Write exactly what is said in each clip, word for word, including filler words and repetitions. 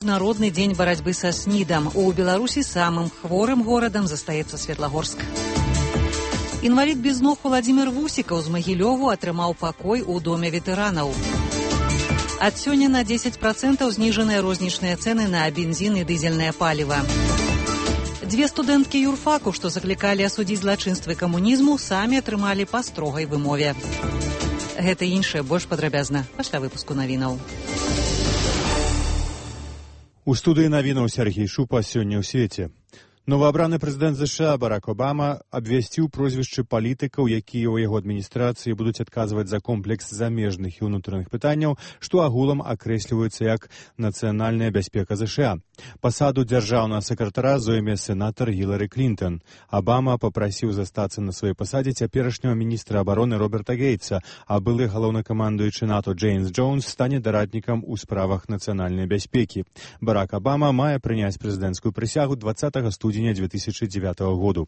Народный день борьбы со СНИДом. У Беларуси самым хворым городом застаецца Светлагорск. Інвалід без ног Владимир Вусікаў з Магілёву атрымаў пакой у доме ветэранаў. Ад сёння на дзесяць працэнтаў зніжаныя рознічныя цэны на бензін і дызельнае паліва. Дзве студэнткі юрфаку, што заклікалі асудзіць злачынствы камунізму, самі атрымалі па строгай вымове. Гэта і іншае больш падрабязна пасля выпуску навінаў. У студыі навінаў Сергей Шупа сёння ў свеце. Новаабраны прэзідэнт ЗША Барак Обама абвясціў прозвішчы палітыкаў, якія ў яго адміністрацыі будуць адказваць за комплекс замежных і ўнутраных пытанняў, што агулам акрэсліваюцца як нацыянальная бяспека ЗША. Пасаду дзяржаўнага сакратара зойме сенатар Гілары Клінтон. Обама папрасіў застацца на сваёй пасадзе цяперашняга міністра абароны Роберта Гейтса, а былы галоўнакамандуючы НАТО Джеймс Джонс стане дараднікам у справах нацыянальнай бяспекі. Барак Обама мае прыняць прэзідэнцкую прысягу двадцатага студзеня две тысячи девятого году.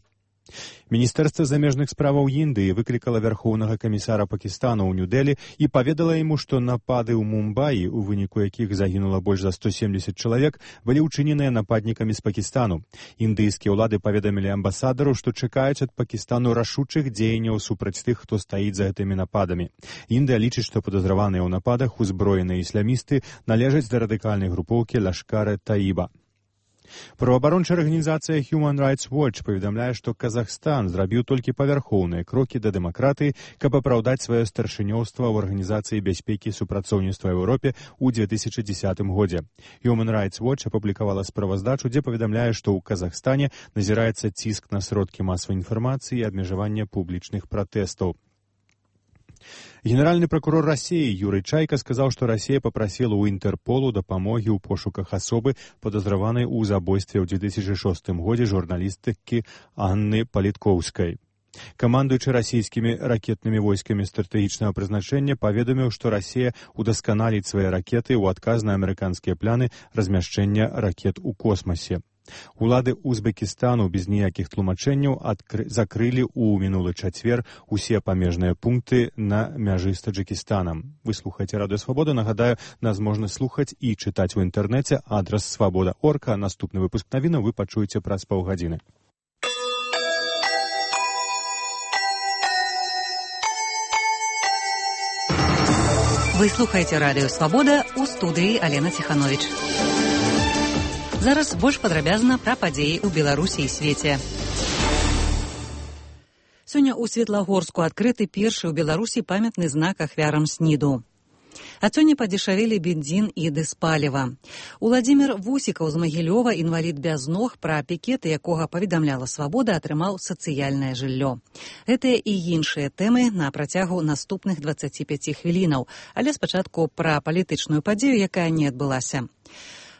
Міністэрства замежных справаў Індыі выклікала вярхоўнага камісара Пакістану ў Нью-Дэлі і паведала яму, што напады ў Мумбаі, у выніку якіх загінула больш за сто семьдесят чалавек, былі ўчыненыя нападнікамі з Пакістану. Індыйскія ўлады паведамілі амбасадару, што чакаюць ад Пакістану рашучых дзеянняў супраць тых, хто стаіць за гэтымі нападамі. Індыя лічыць, што падазраваныя ў нападах узброеныя ісламісты належаць да радыкальнай групоўкі Лашкар-э-Таіба. Праваабарончая арганізацыя Human Rights Watch паведамляе, што Казахстан зрабіў толькі павярхоўныя крокі да дэмакратыі, каб апраўдаць сваё старшынёўства ў Арганізацыі бяспекі і супрацоўніцтва ў Еўропе ў две тысячи десятым годзе. Human Rights Watch апублікавала справаздачу, дзе паведамляе, што ў Казахстане назіраецца ціск на сродкі масавай інфармацыі і абмежаванне публічных пратэстаў. Генеральны прокурор России Юрий Чайка сказал, что Россия попросила у Интерполу дапамоги ў пошуках особы, подозреванной у забойстве ў две тысячи шостым годзе журналистки Анны Политковской. Камандуючы расійскімі ракетнымі войскамі стратэгічнага прызначэння паведаміў, што Расія удасканаліць свае ракеты ў адказ на амерыканскія пляны размяшчэння ракет у космасе. Улады Узбекістану без ніякіх тлумачэнняў адкры... закрылі ў мінулы чацвер усе памежныя пункты на мяжы з Таджикістанам. Вы слухаеце Радыё Свабода. Нагадаю, нас можна слухаць і чытаць у інтэрнэце. Адрас свабода точка орг. Наступны выпуск навінаў вы пачуеце праз паўгадзіны. Вы слухаеце Радыё Свабода, у студыі Алена Ціхановіч. Зараз больш падрабязна пра падзеі ў Беларусі і свеце. Сёння ў Светлагорску адкрыты першы ў Беларусі памятны знак ахвярам СНІДу. А сёння падзешавелі бензін і дызпаліва. Владимир Вусікаў з Магілёва, інвалід без ног, пра пікеты якога паведамляла Свабода, атрымаў сацыяльнае жыллё. Гэтыя і іншыя тэмы на працягу наступных дваццаці пяці хвілінаў, але спачатку пра палітычную падзею, якая не адбылася.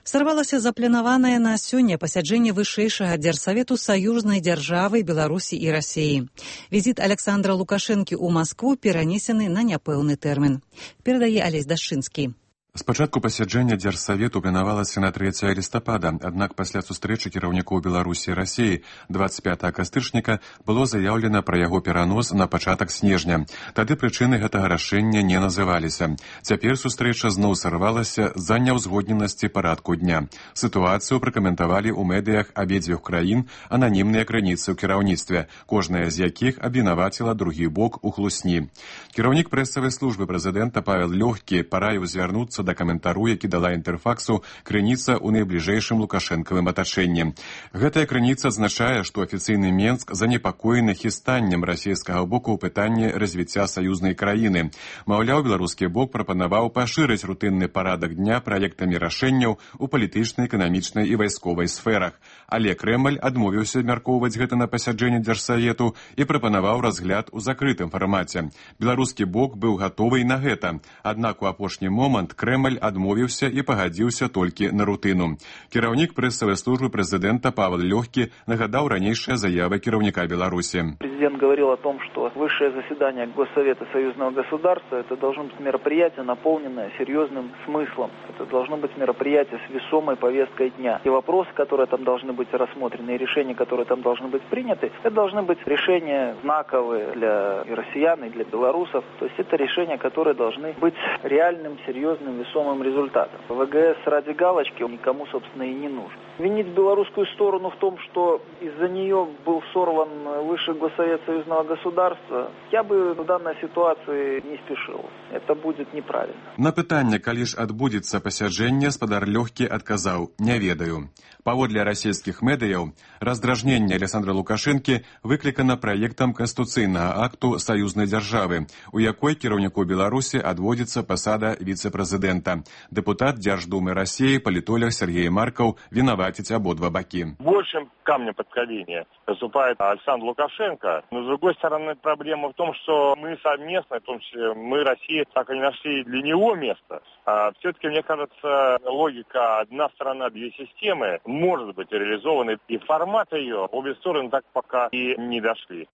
Сарвалася запланаванае на сёння пасяджэнне вышэйшага дзярсавету саюзнай дзяржавы Беларусі і Расіі. Візіт Александра Лукашэнкі ў Маскву перанесены на няпэўны тэрмін. Перадае Алесь Дашчынскі. Спачатку пасяджэння дзярсавету планавалася на трэцяе лістапада, аднак пасля сустрэчы кіраўнікоў Беларусі і Расіі дваццаць пятага кастрычніка было заяўлена пра яго перанос на пачатак снежня. Тады прычыны гэтага рашэння не называліся. Цяпер сустрэча зноў сарвалася з-за няўзгодненасці парадку дня. Сітуацыю пракаментавалі ў медыях абедзвюх краін ананімныя крыніцы ў кіраўніцтве, кожная з якіх абвінаваціла другі бок у хлусні. Кіраўнік прэсавай службы прэзідэнта Павел Лёгкі параіў звярнуцца да каментару, які дала інтэрфаксу крыніца ў найбліжэйшым лукашэнкавым атачэнні. Гэтая крыніца адзначае, што афіцыйны Менск занепакоены хістаннем расійскага боку ў пытанні развіцця саюзнай краіны. Маўляў, беларускі бок прапанаваў пашырыць рутынны парадак дня праектамі рашэнняў у палітычнай, эканамічнай і вайсковай сферах. Але Крэмль адмовіўся абмяркоўваць гэта на пасяджэнні дзярсавету і прапанаваў разгляд у закрытым фармаце. Беларускі бок быў гатовы на гэта, аднак у апошні момант Крэмль адмовіўся і пагадзіўся толькі на рутыну. Кіраўнік прэсавай службы прэзідэнта Павел Лёгкі нагадаў ранейшыя заявы кіраўніка Беларусі. Президент говорил о том, что высшее заседание Госсовета союзного государства это должно быть мероприятие, наполненное серьезным смыслом. Это должно быть мероприятие с весомой повесткой дня. И вопросы, которые там должны быть рассмотрены, и решения, которые там должны быть приняты, это должны быть решения знаковые для и россиян, и для белорусов. То есть это решения, которые должны быть реальным, серьезным, весомым результатом. ВГС ради галочки никому, собственно, и не нужен. Винить белорусскую сторону в том, что из-за нее был сорван Высший Госсовет Союзного государства, я бы в данной ситуации не спешил. Это будет неправильно. На пытанне, калі ж адбудзецца пасяджэнне, спадар Лёгкі адказаў: «Не ведаю». Паводле расійскіх медыяў, раздражненне Александра Лукашэнкі выклікана праектам канстытуцыйнага акту саюзнай дзяржавы, у якой кіраўніку Беларусі адводзіцца пасада віцэ-прэзідэнта. Дэпутат Дзярждумы России, политолог Сергей Марков виноватить ободва баки. Большим камнем преткновения выступает Александр Лукашенко. Но, с другой стороны, проблема в том, что мы совместно, в том числе мы, Россия, так и не нашли для него место. А все-таки, мне кажется, логика «одна страна, две системы» может быть реализована, и формат ее обе стороны так пока и не дошли.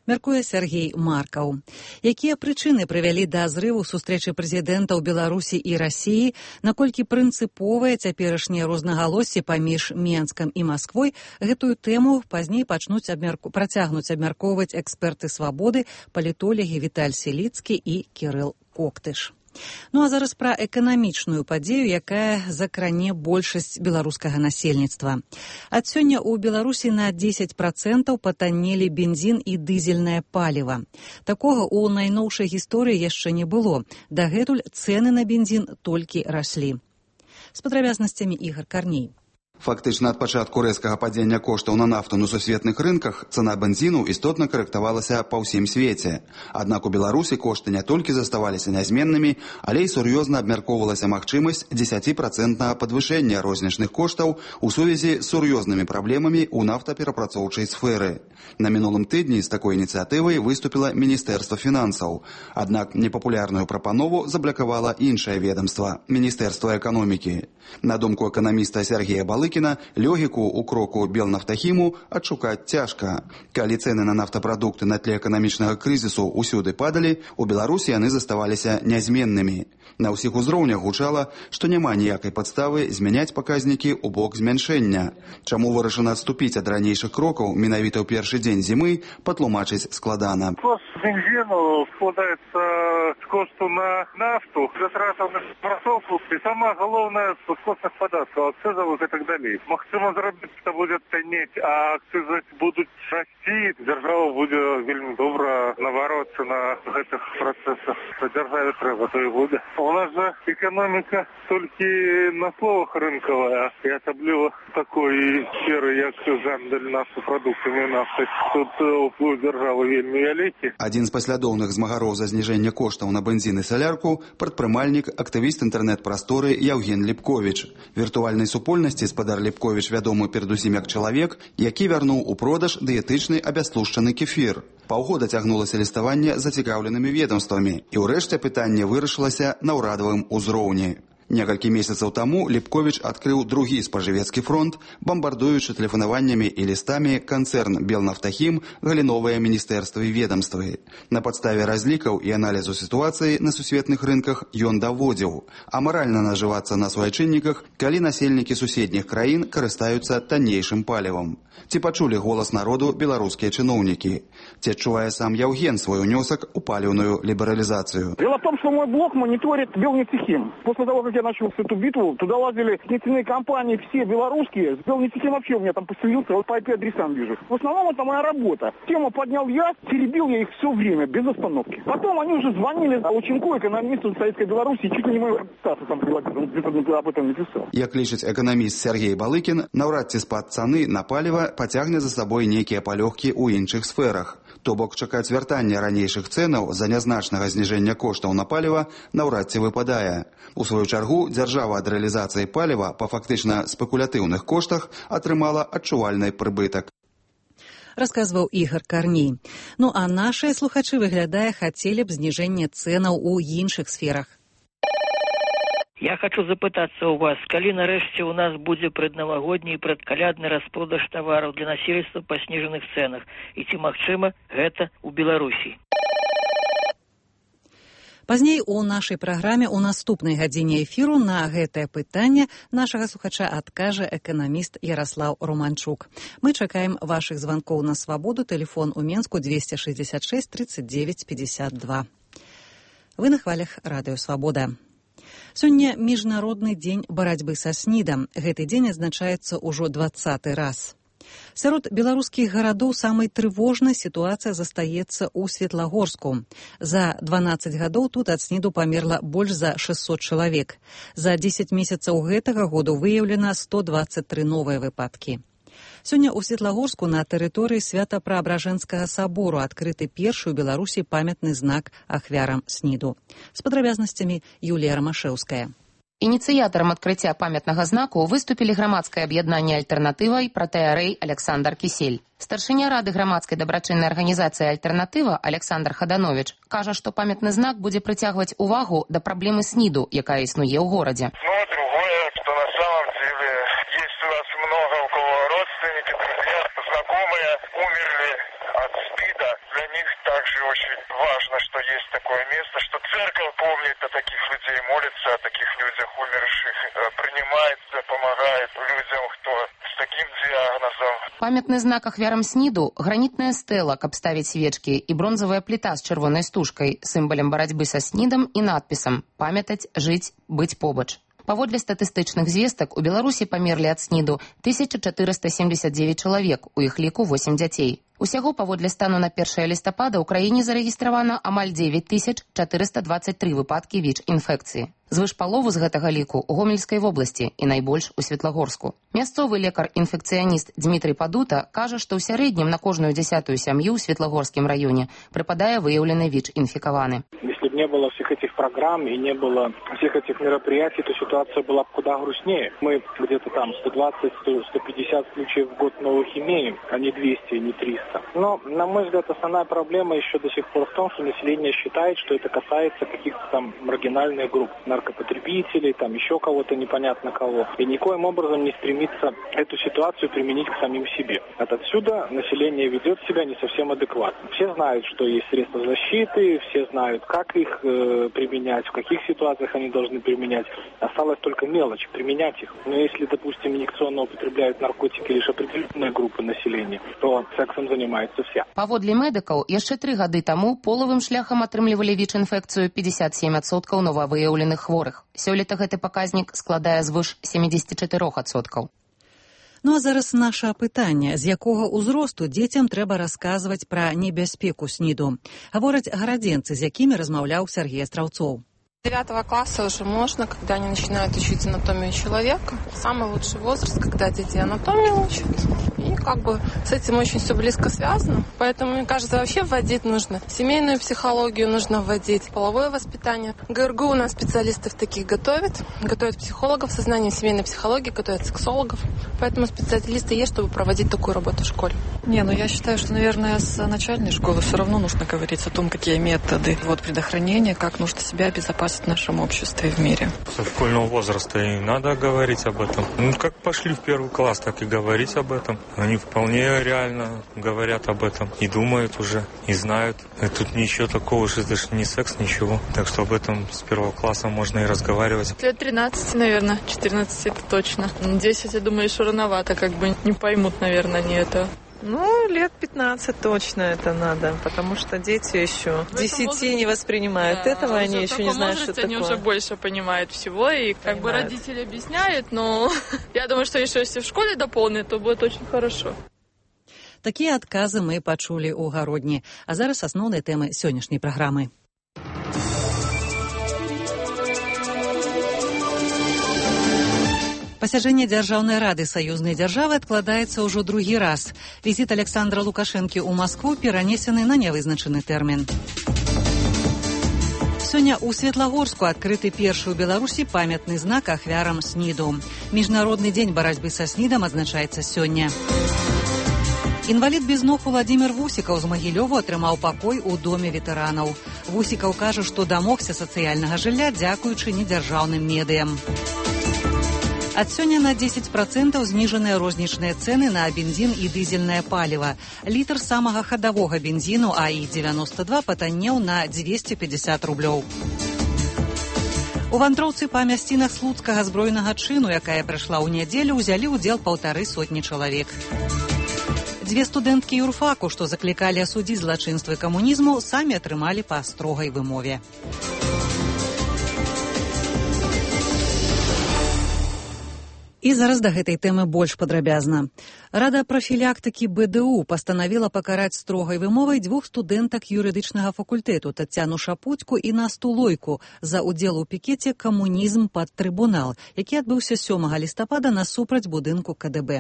Мяркуе Сергей Маркаў. Якія прычыны прывялі да зрыву сустрэчы прэзідэнтаў Беларусі і Расіі, наколькі прынцыповае цяперашняе рознагалоссі паміж Менскам і Масквой, гэтую тэму пазней пачнуць абмярку... працягнуць абмяркоўваць эксперты «Свабоды», палітолагі Віталь Селіцкі і Кірыл Коктыш. Ну а зараз пра эканамічную падзею, якая закране большасць беларускага насельніцтва. Ад сёння ў Беларусі на дзесяць працэнтаў патаннелі бензін і дызельнае паліва. Такога ў найноўшай гісторыі яшчэ не было. Дагэтуль цэны на бензін толькі раслі. З падрабязнасцямі Ігар Карней. Фактычна ад пачатку рэзкага падзення коштаў на нафту на сусветных рынках цана бензіну істотна карэктавалася па ўсім свеце. Аднак у Беларусі кошты не толькі заставаліся нязменнымі, але і сур'ёзна абмяркоўвалася магчымасць дзесяціпроцэнтнага падвышэння рознічных коштаў у сувязі з сур'ёзнымі праблемамі ў нафтаперапрацоўчай сферы. На мінулым тыдні з такой ініцыятывай выступіла Міністэрства фінансаў. Аднак непапулярную прапанову заблакавала іншае ведомства – Міністэрства эканомікі. На думку эканаміста Сергея Балыкіна, логіку ў кроку Белнафтахіму адшукаць цяжка. Калі цэны на нафтапрадукты на тле эканамічнага крызісу ўсюды падалі, у Беларусі яны заставаліся нязменнымі. На ўсіх узроўнях гучала, што няма ніякай падставы змяняць паказнікі ў бок змяншэння. Чаму вырашана адступіць ад ранейшых крокаў менавіта ў першы дзень зімы, патлумачыць складана. Кост бензину складаецца з кошту на нафту, затратаў на прасоўку і сама галоўная з костных падаткаў, акцызавых і так далей. Магчыма зрабіць, што будзе таннець, а акцызы будуць расці, дзяржава будзе вельмі добра навароцца на гэтых працэсах. Дзяржаве трэба, то і будзе. У нас же экономика только на словах рынковая, и особливо такой сферы, як гандаль нафтопродуктами нафты. Тут уплыў державы вельмі вялікі. Адзін з паслядоўных змагароў за зніжэнне коштаў на бензін і салярку – прадпрымальнік, актывіст інтэрнэт-прасторы Яўген Ліпковіч. Віртуальнай супольнасці спадар Ліпковіч вядомы перадусім як чалавек, які вярнуў у продаж дыетычны абястлушчаны кефір. Паўгода цягнулася ліставанне зацікаўленымі ведомствамі, і ўрэшце пытанне вырашылася на ўрадавым узроўні. Некалькі месяцаў таму Ліпковіч адкрыў другі спажывецкі фронт, бамбардуючы тэлефанаваннямі і лістамі канцэрн Белнафтахім, галіновыя міністэрствы і ведамствы. На падставе разлікаў і аналізу сітуацыі на сусветных рынках ён даводзіў, амаральна нажывацца на суайчынніках, калі насельнікі суседніх краін карыстаюцца таннейшым палівам. Ці пачулі голас народу беларускія чыноўнікі? Ці адчувае сам Яўген свой унёсак у паліўную лібералізацыю? Дело в том, что мой блог мониторит Белнефтехим. После того, как я начал эту битву, туда лазили нефтяные компании, все белорусские. С Белнефтехим вообще у меня там поселился, вот по ай пи-адресам вижу. В основном это моя работа. Тему поднял я, теребил я их все время, без остановки. Потом они уже звонили Лученко, экономисту Советской Беларуси, чуть ли не мою репутацию там прилагали, он где-то об этом написал. Як лічыць эканаміст Сергей Балыкін, наўрад ці спад цаны на паліва пацягне за сабой нейкія палёгкі ў іншых сферах. То бок чакаць вяртання ранейшых цэнаў за нязначнага зніжэння коштаў на паліва наўрад ці выпадае. У сваю чаргу, дзяржава ад рэалізацыі паліва па фактычна спекулятыўных коштах атрымала адчувальны прыбытак. Расказваў Ігар Карней. Ну а нашыя слухачы, выглядае, хацелі б зніжэння цэнаў у іншых сферах. Я хочу запытацца у вас, калі нарэшце у нас будзе праднавагодні і прадкалядны распродаж тавараў для насельніцтва па снежаных цэнах, і ці магчыма гэта ў Беларусі? Пазней у нашай праграме ў наступнай гадзіне эфіру на гэтае пытанне нашага слухача адкажа эканаміст Яраслаў Романчук. Мы чакаем вашых званкоў на Свабоду, тэлефон у Менску двести шестьдесят шесть тридцать девять пятьдесят два. Вы на хвалях радыё Свабода. Сёння міжнародны дзень барацьбы са снідам. Гэты дзень адзначаецца ўжо дваццаты раз. Сярод беларускіх гарадоў самай трывожнай сітуацыя застаецца ў Светлагорску. За дванаццаць гадоў тут ад сніду памерла больш за шэсцьсот чалавек. За дзесяць месяцаў гэтага году выяўлена сто дваццаць тры новыя выпадкі. Сёння ў Светлагорску на тэрыторыі Свята-Праабражэнскага сабору адкрыты першы ў Беларусі памятны знак ахвярам сніду. З падрабязнасцямі Юлія Рамашэўская. Ініцыятарам адкрыцця памятнага знаку выступілі грамадскае аб'яднанне «Альтэрнатыва» і пратэарэй Александр Кісель. Старшыня рады грамадскай дабрачыннай арганізацыі «Альтэрнатыва» Александр Хаданович кажа, што памятны знак будзе прыцягваць увагу да праблемы сніду, якая існуе ў горадзе. Ну, другое, что на самом деле есть у нас много у кого родственники, друзья, знакомые умерли от СПИДа. Для них также очень важно, что есть такое место, что церковь помнит о таких людей, молится о таких людях умерших, принимает, помогает людям, кто с таким диагнозом. Памятны знак ахвярам сніду, гранітная стэла, каб ставіць свечкі, і бронзавая пліта з чырвонай стужкай, сімвалам барацьбы са снідам і надпісам «Памятаць, жыць, быць побач». Паводле статыстычных звестак, у Беларусі памерлі ад сніду тысяча чатырыста семдзесят дзевяць чалавек, у іх ліку восем дзяцей. Усяго паводле стану на першае лістапада ў краіне зарэгістравана амаль дзевяць тысяч чатырыста дваццаць тры выпадкі ВІЧ-інфекцыі. Звыш палову з гэтага ліку ў Гомельскай вобласці і найбольш у Светлагорску. Мясцовы лекар-інфекцыяніст Дмітрый Падута кажа, што ў сярэднім на кожную дзясятую сям'ю ў Светлагорскім раёне прыпадае выяўлены ВІЧ-інфікаваны. Если бы не было всех этих программ и не было всех этих мероприятий, то ситуация была бы куда грустнее. Мы где-то там сто двадцать - сто пятьдесят случаев в год новых имеем, а не двести, не триста. Но, на мой взгляд, основная проблема еще до сих пор в том, что население считает, что это касается каких-то там маргинальных групп, наркопотребителей, там еще кого-то непонятно кого. И никоим образом не стремится эту ситуацию применить к самим себе. От отсюда население ведет себя не совсем адекватно. Все знают, что есть средства защиты, все знают, как их э, применять, в каких ситуациях они должны применять. Осталось только мелочь, применять их. Но если, допустим, инъекционно употребляют наркотики лишь определенные группы населения, то сексом занимаются все. Паводле медыкаў, яшчэ тры гады таму полавым шляхам атрымлівалі ВІЧ-інфекцыю пятьдесят семь адсоткаў новавыяўленых хворых. Сёлета гэты паказнік складае звыш семьдесят четыре адсоткаў. Ну а зараз наша пытанне, з якога ўзросту дзецям трэба расказваць пра небяспеку сніду. Гавораць гарадзенцы, з якімі размаўляў Сергей Астраўцоў. девятого класса уже можно, когда они начинают учить анатомию человека. Самый лучший возраст, когда дети анатомию учат. И как бы с этим очень все близко связано. Поэтому, мне кажется, вообще вводить нужно. Семейную психологию нужно вводить, половое воспитание. ГРГУ у нас специалистов таких готовит. Готовят психологов со знанием семейной психологии, готовят сексологов. Поэтому специалисты есть, чтобы проводить такую работу в школе. Не, ну я считаю, что, наверное, с начальной школы все равно нужно говорить о том, какие методы вот, предохранения, как нужно себя обезопасить в нашем обществе и в мире. Со школьного возраста и надо говорить об этом. Ну, как пошли в первый класс, так и говорить об этом. Они вполне реально говорят об этом и думают уже, и знают. И тут ничего такого, что это же не секс, ничего. Так что об этом с первого класса можно и разговаривать. Лет тринадцать, наверное. четырнадцать это точно. десять, я думаю, еще рановато, как бы не поймут, наверное, они это. Ну, лет пятнадцать точно это надо, потому что дети еще десяти не воспринимают да, этого, они еще не знают, что такое. Они уже больше понимают всего, и как понимают. Бы родители объясняют, но я думаю, что еще если в школе дополнят, то будет очень хорошо. Такія адказы мы пачулі ў гародні, а зараз асноўныя тэмы сённяшняй праграмы. Пасяджэнне Дзяржаўнай рады саюзнай дзяржавы адкладаецца ўжо другі раз. Візіт Александра Лукашэнкі ў Маскву перанесены на нявызначаны тэрмін. Сёння ў Светлагорску адкрыты першы ў Беларусі памятны знак ахвярам сніду. Міжнародны дзень барацьбы са снідам адзначаецца сёння. Інвалід без ног Уладзімір Вусікаў з Магілёву атрымаў пакой у доме ветэранаў. Вусікаў кажа, што дамогся сацыяльнага жылля дзякуючы недзяржаўным медыям. Ад сёння на дзесяць працэнтаў зніжаныя рознічныя цэны на бензін і дызельнае паліва. Літр самага хадавога бензіну А І девяносто два патаннеў на дзвесце пятьдесят рублёў. У вандроўцы па мясцінах слуцкага збройнага чыну, якая прайшла ў нядзелю, узялі ўдзел паўтары сотні чалавек. Дзве студэнткі юрфаку, што заклікалі асудзіць злачынствы камунізму, самі атрымалі па строгай вымове. І зараз да гэтай тэмы больш падрабязна. Рада прафілактыкі бэ дэ у пастанавіла пакараць строгай вымовай двух студэнтак юрыдычнага факультэту Тацяну Шапуцьку і Насту Лойку за ўдзел у пікеце «Камунізм пад трыбунал», які адбыўся сёмага лістапада насупраць будынку ка дэ бэ.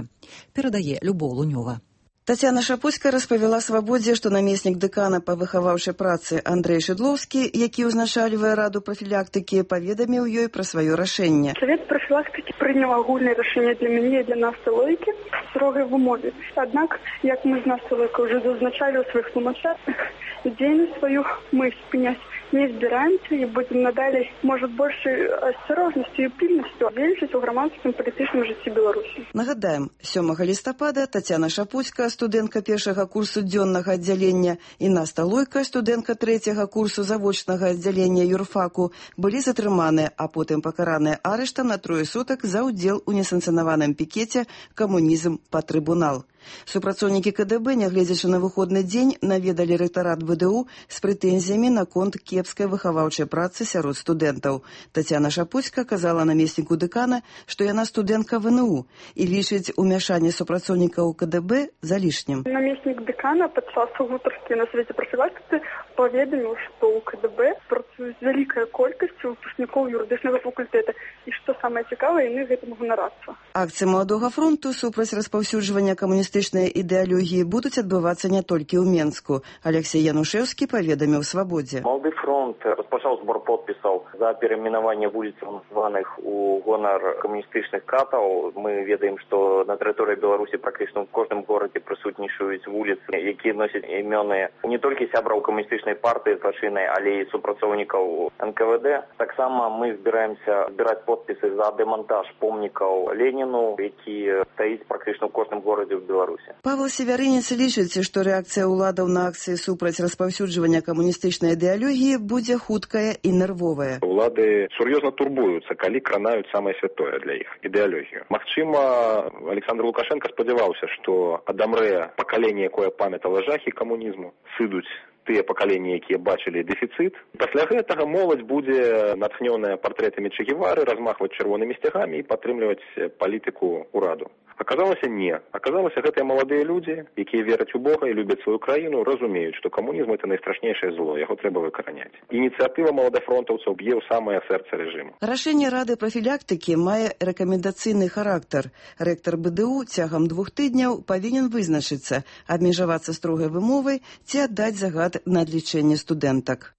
Перадае Любоў Лунёва. Тацяна Шапуцька распавяла «Свабодзе», што намеснік дэкана па выхаваўчай працы Андрэй Шыдлоўскі, які ўзначальвае раду прафілактыкі, паведаміў ёй пра сваё рашэнне. Савет прафілактыкі прыняў агульнае рашэнне для мяне і для Насты Лойкі в строгай вымове. Аднак, як мы з Настай Лойкай уже зазначалі ў сваіх тлумачаннях, дзейнасць сваю мы спыняць не збіраемся і будзем надалей, можа, большай асцярожнасцю і пільнасцю дзейнічаць у грамадскім палітычным жыцці Беларусі. Нагадаем, сёмага лістапада Тацяна Шапуцька, студэнтка першага курсу дзённага аддзялення, і Наста Лойка, студэнтка трэцяга курсу завочнага аддзялення юрфаку, былі затрыманыя, а потым пакараныя арыштам на трое сутак за ўдзел у несанкцыянаваным пікеце «Камунізм пад трыбунал». Супрацоўнікі ка дэ бэ, нягледзячы на выходны дзень, наведалі рэктарат бэ дэ у з прэтэнзіямі наконт кепскай выхаваўчай працы сярод студэнтаў. Тацяна Шапуцька казала намесніку дэкана, што яна студэнтка вэ эн у і лічыць умяшанне супрацоўнікаў ка дэ бэ залішнім. Намеснік дэкана падчас гутаркі на Савеце прафілактыкі паведаміў, што ў ка дэ бэ працуюць вялікая колькасць выпускнікоў юрыдычнага факультэта і, што самае цікавае, яны гэтым ганарацца. Акцыі Маладога фронту супраць распаўсюджвання камуністычнай ідэалогіі будуць адбывацца не толькі ў Менску. Алексей Янушэўскі паведаміў «Свабодзе». Малады фронт распачаў збор подпісаў за перайменаванне вуліцаў, названых у гонар камуністычных катаў. Мы ведаем, што на тэрыторыі Беларусі практычна ў кожным горадзе прысутнічаюць вуліцы, якія носяць імёны не толькі сябраў камуністычнай партыі злачыннай, але і супрацоўнікаў эн ка вэ дэ. Таксама мы збіраемся збіраць подпісы за дэмантаж помнікаў Леніну, які стаіць практычна ў кожным горадзе ў Беларусі. Павел Севярынец лічыць, што рэакцыя ўладаў на акцыі супраць распаўсюджвання камуністычнай ідэалогіі будзе хуткая і нервовая. Улады сур'ёзна турбуюцца, калі кранаюць самае святое для іх ідэалогію. Магчыма, Александр Лукашенко спадзяваўся, што адамрэ пакаленне, якое памятала жахі камунізму, сыдуць тыя пакаленні, якія бачылі дэфіцыт. Пасля гэтага моладзь будзе натхнёная партрэтамі Че Гевары, размахваць чырвонымі сцягамі і падтрымліваць палітыку ўраду. Аказалася не. Аказалася, гэтыя маладыя людзі, якія вераць у Бога і любяць сваю краіну, разумеюць, што камунізм – это найстрашнейшае зло, яго трэба выкараняць. Ініцыятыва маладафронтаўцаў б'е ў самае сэрца рэжыму. Рашэнне Рады прафілактыкі мае рэкамендацыйны характар. Рэктар бэ дэ у цягам двух тыдняў павінен вызначыцца, абмежавацца строгай вымовай ці аддаць загад на адлічэнне студэнтак.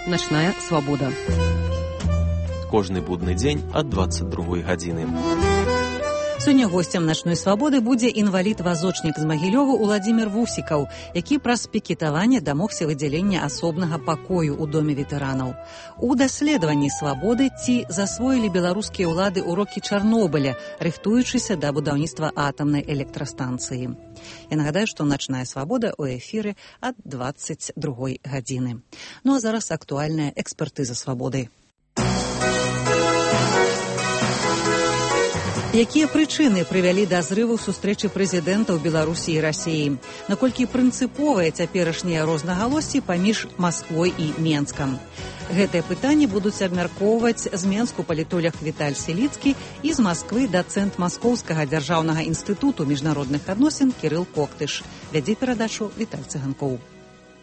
Начная свабода. Кожны будны дзень ад дваццаць другой гадзіны. Сёння госцем начной свабоды будзе інвалід-вазочнік з Магілёва Уладзімір Вусікаў, які праз пікетаванне дамогся выдзялення асобнага пакою ў доме ветэранаў. У даследаванні свабоды ці засвоілі беларускія ўлады урокі Чарнобыля, рыхтуючыся да будаўніцтва атамнай электрастанцыі. Я нагадаю, што начная свабода ў эфіры ад дваццаць другой гадзіны. Ну а зараз актуальная экспертыза свабоды. Якія прычыны прывялі да зрыву сустрэчы прэзідэнтаў Беларусі і Расіі? Наколькі прынцыповыя цяперашнія рознагалоссі паміж Масквой і Менскам? Гэтыя пытанні будуць абмяркоўваць з Менску палітолог Віталь Селіцкі і з Масквы дацэнт Маскоўскага дзяржаўнага інстытуту міжнародных адносін Кірыл Коктыш. Вядзе перадачу Віталь Цыганкоў.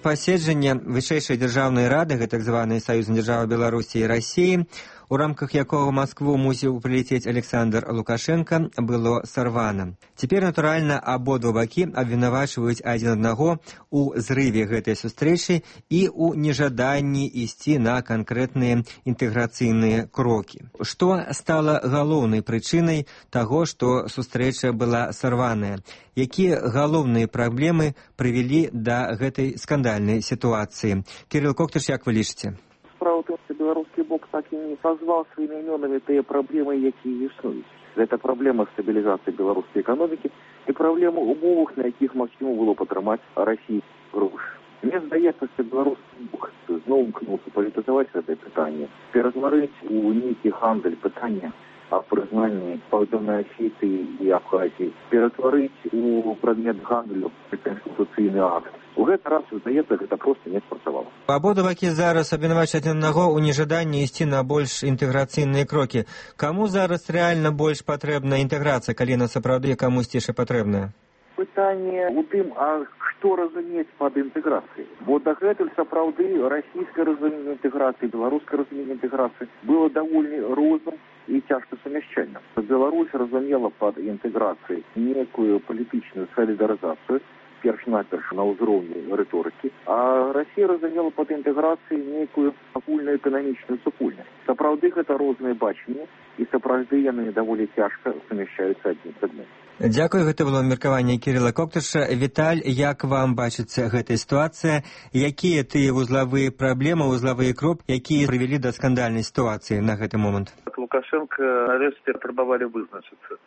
Паседжанне вышэйшай дзяржаўнай рады, так званай саюзнай дзяржавы Беларусі і Расіі, у рамках якого в Москву мусіў прилететь Александр Лукашенко, было сорвано. Теперь, натуральна, абодва бакі абвінавачваюць адзін аднаго у зрыве гэтай сустрэчы і у нежаданні ісці на канкрэтныя інтэграцыйныя крокі. Што стала галоўнай прычынай таго, што сустрэча была сорваная? Якія галоўныя праблемы прывялі да гэтай скандальнай сітуацыі? Кірыл Коктыш, як вы лічыце? Справа в том, что белорусский бок так и не назвал своими именами те проблемы, які існують. Это проблема стабилизации белорусской экономики и проблема умов, на яких максимум было потримати Росію гроші. Мені здається, що білоруський бок знову мкнувся політизувати це питання, перетворити у некий гандель питання о признании Південної Осетії і Абхазії, перетворити у предмет гандлю конституційний акт У гэты раз, здаецца, гэта проста не спрацавала. Абодва бакі зараз абвінавачваюць адзін аднаго ў нежаданні ісці на больш інтэграцыйныя крокі. Каму зараз рэальна больш патрэбна інтэграцыя, калі на сапраўды камусьці яшчэ патрэбная? Пытанне ў тым, а што разумець пад інтэграцыяй? Бо дагэтуль сапраўды расійскае разуменне інтэграцыі, беларускае разуменне інтэграцыі было даволі розным і цяжка сумяшчальным. Беларусь разумела пад інтэграцыяй некую палітычную салідарызацыю, перш-наперш на ўзроўні рыторыкі, а Расія разумела пад інтэграцыяй некую агульную эканамічную супольнасць. Сапраўды гэта розныя бачанні, і сапраўды яны даволі цяжка сумяшчаюцца адзін з адным. Дзякую, гэта было меркаванне Кірыла Коктыша. Віталь, як вам бачыцца гэтая сітуацыя? Якія тыя вузлавыя праблемы, вузлавыя кропкі, якія прывялі да скандальнай сітуацыі на гэты момант? Лукашенко нарэшце патрабавалі вызначыцца.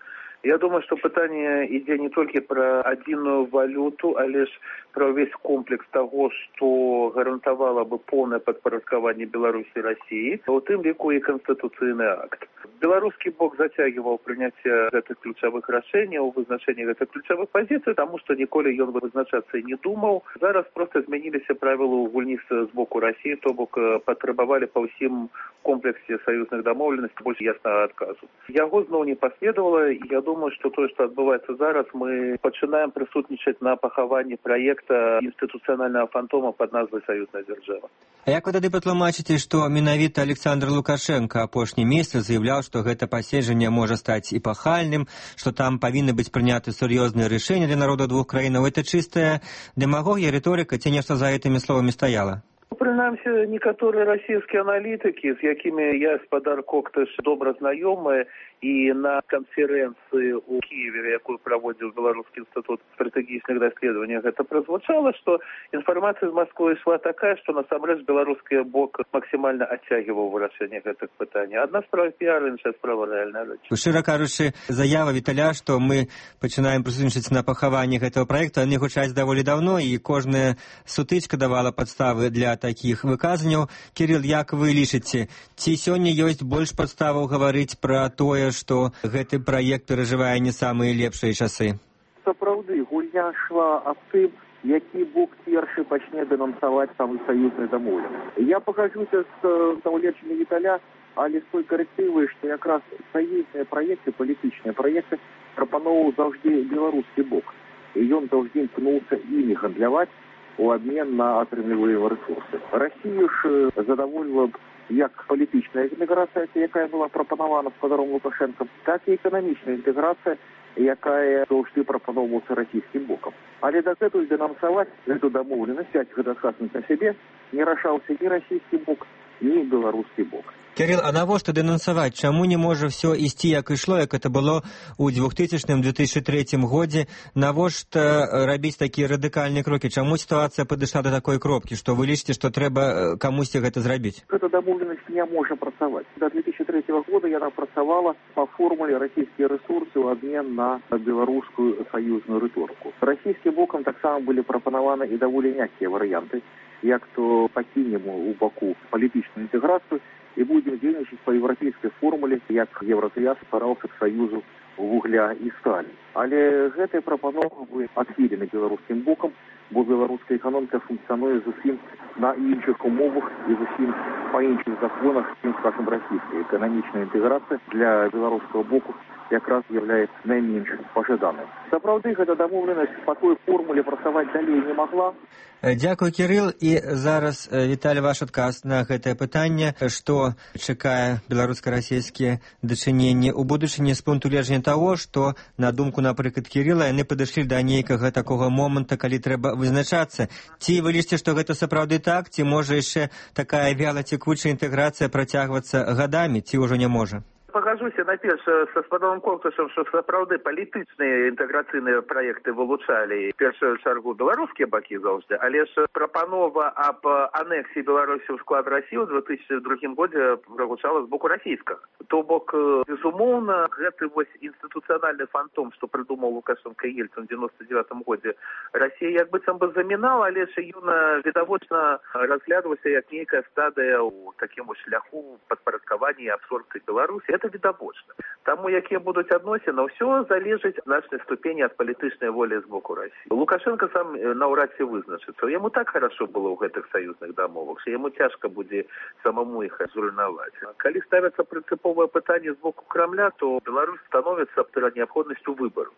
Я думаю, что пытание ідзе не только про адзіную валюту, але ж про весь комплекс того, что гарантовало бы полное подпорядкование Беларуси и России, у тым ліку и конституцыйный акт. Белорусский бок затягивал принятие этих ключевых решений, у вызначения этих ключевых позиций, потому что ніколі ён вызначаться не думал. Зараз просто изменились правила гульні с боку России, то бок потребовали по всем комплексе союзных домовленностей больше ясного отказу. Яго зноў не последовало, и я думаю, что то, что отбывается зараз, мы начинаем присутничать на пахаванні проекта институционального фантома под назвой «Союзная держава». А як вы тады патлумачыце, што менавіта Александр Лукашенко апошні месяц заявляў, што гэта паседжанне можа стаць эпахальным, што там павінны быць прыняты сур'ёзныя рашэнні для народа двух краінаў? Это чыстая дэмагогія, рыторыка, ці нешта за гэтымі словамі стаяла? Прынамсі, некаторыя расійскія аналітыкі, з якімі я, спадар Коктыш, добра знаёмы, і на канферэнцыі ў Киеве, якую праводзіў Беларускі інстытут стратэгічных даследаванняў, гэта празвучала, што інфармацыя з Масквы ішла такая, што насамрэч беларускі бок максімальна адцягиваў вырашэнне гэтых пытанняў. Адна справа піар, іншая справа рэальная рэч. Шчыра кажучы, заява Віталя, што мы пачынаем прысутнічаць на пахаванні гэтага праекта, яны гучаць даволі даўно, і кожная сутычка давала падставы для такіх выказанняў. Кірыл, як вы лічыце, ці сёння ёсць больш падставаў гаварыць пра тое, што гэты праект перажывае не самыя лепшыя часы? Сапраўды, гульня шла аб тым, які бок першы пачне дэнансаваць самы саюзны дамоўленасць. Я пахажуся з наўлечамі Віталя, але з той карэктывай, што якраз саюзныя праекты, палітычныя праекты прапаноўваў заўжды беларускі бок. І ён заўжды імкнуўся імі гандляваць у абмен на атрымліваемыя рэсурсы. Расію ж задавольвала б як палітычная інтэграцыя, якая была прапанавана спадаром Лукашэнкам, так і эканамічная інтэграцыя, якая заўжды прапаноўвалася расійскім бокам. Але дагэтуль дэнансаваць гэту дамоўленасць, взяць гэта адказнасць на сябе, не рашаўся ні расійскі бок, ні беларускі бок. Кірыл, а навошта дэнансаваць? Чаму не можа ўсё ісці, як ішло, як это было ў двухтысячным - две тысячи третьем годзе? Навошта рабіць такія радыкальныя крокі? Чаму сітуацыя падышла да такой кропкі, што вы лічыце, што трэба камусьці гэта зрабіць? Гэта дамоўленасць не можа працаваць. До две тысячи третьего года яна працавала па формуле расійскія рэсурсы ў абмен на беларускую саюзную рыторыку. Расійскім бокам таксама былі прапанаваны і даволі мяккія варыянты, як то пакінем у баку палітычную інтэграцыю і будем дзейнічаць па еўрапейскай формуле, як Еўрасоюз стараўся к саюзу вугля і сталі. Але гэтыя прапановы былі адхілены беларускім бокам, бо беларуская эканоміка функцыянуе зусім на іншых умовах і зусім па іншых законах, чым, скажем, расійская. Эканамічная інтэграцыя для беларускага боку якраз з'яўляецца найменш пажаданай. Сапраўды, гэта дамоўленасць па той формуле працаваць далей не магла. Дзякуй, Кірыл. І зараз, Віталь, ваш адказ на гэтае пытанне. Што чакае беларуска-расійскія дачыненні ў будучыні з пункту гледжання таго, што, на думку, напрыклад, Кірыла, яны падышлі да нейкага такога моманта, калі трэба вызначацца. Ці вы лічыце, што гэта сапраўды так, ці можа яшчэ такая вялацекучая інтэграцыя працягвацца гадамі, ці ўжо не можа? Пагажуся найперш са спадаром Коктышам, што сапраўды палітычныя інтэграцыйныя праекты вылучалі першую чаргу беларускія бакі заўжды, але ж прапанова аб анексіі Беларусі ў склад Расіі ў две тысячи другім годзе прагучала з боку расійскага. То бок, безумоўна, гэты вось інстытуцыянальны фантом, што прыдумаў Лукашенко і Ельцин ў девяносто девятом годзе, Расія як быццам бы замінала, але ж ён відавочна разглядалася як нейкая стадыя ў такім шляху падпарадкавання і абсорбцыі Беларусі. Это відавочна. Таму, якія будуць адносіны, ўсё залежыць в значнай ступені ад палітычнай волі з боку Расіі. Лукашенко сам наўрад ці вызначыцца. Яму так хорошо было ў гэтых саюзных дамовах, што яму цяжка будзе самому іх зруйнаваць. Калі ставяцца прынцыповае пытанне з боку Крамля, то Беларусь становіцца перад неабходнасцю выбару.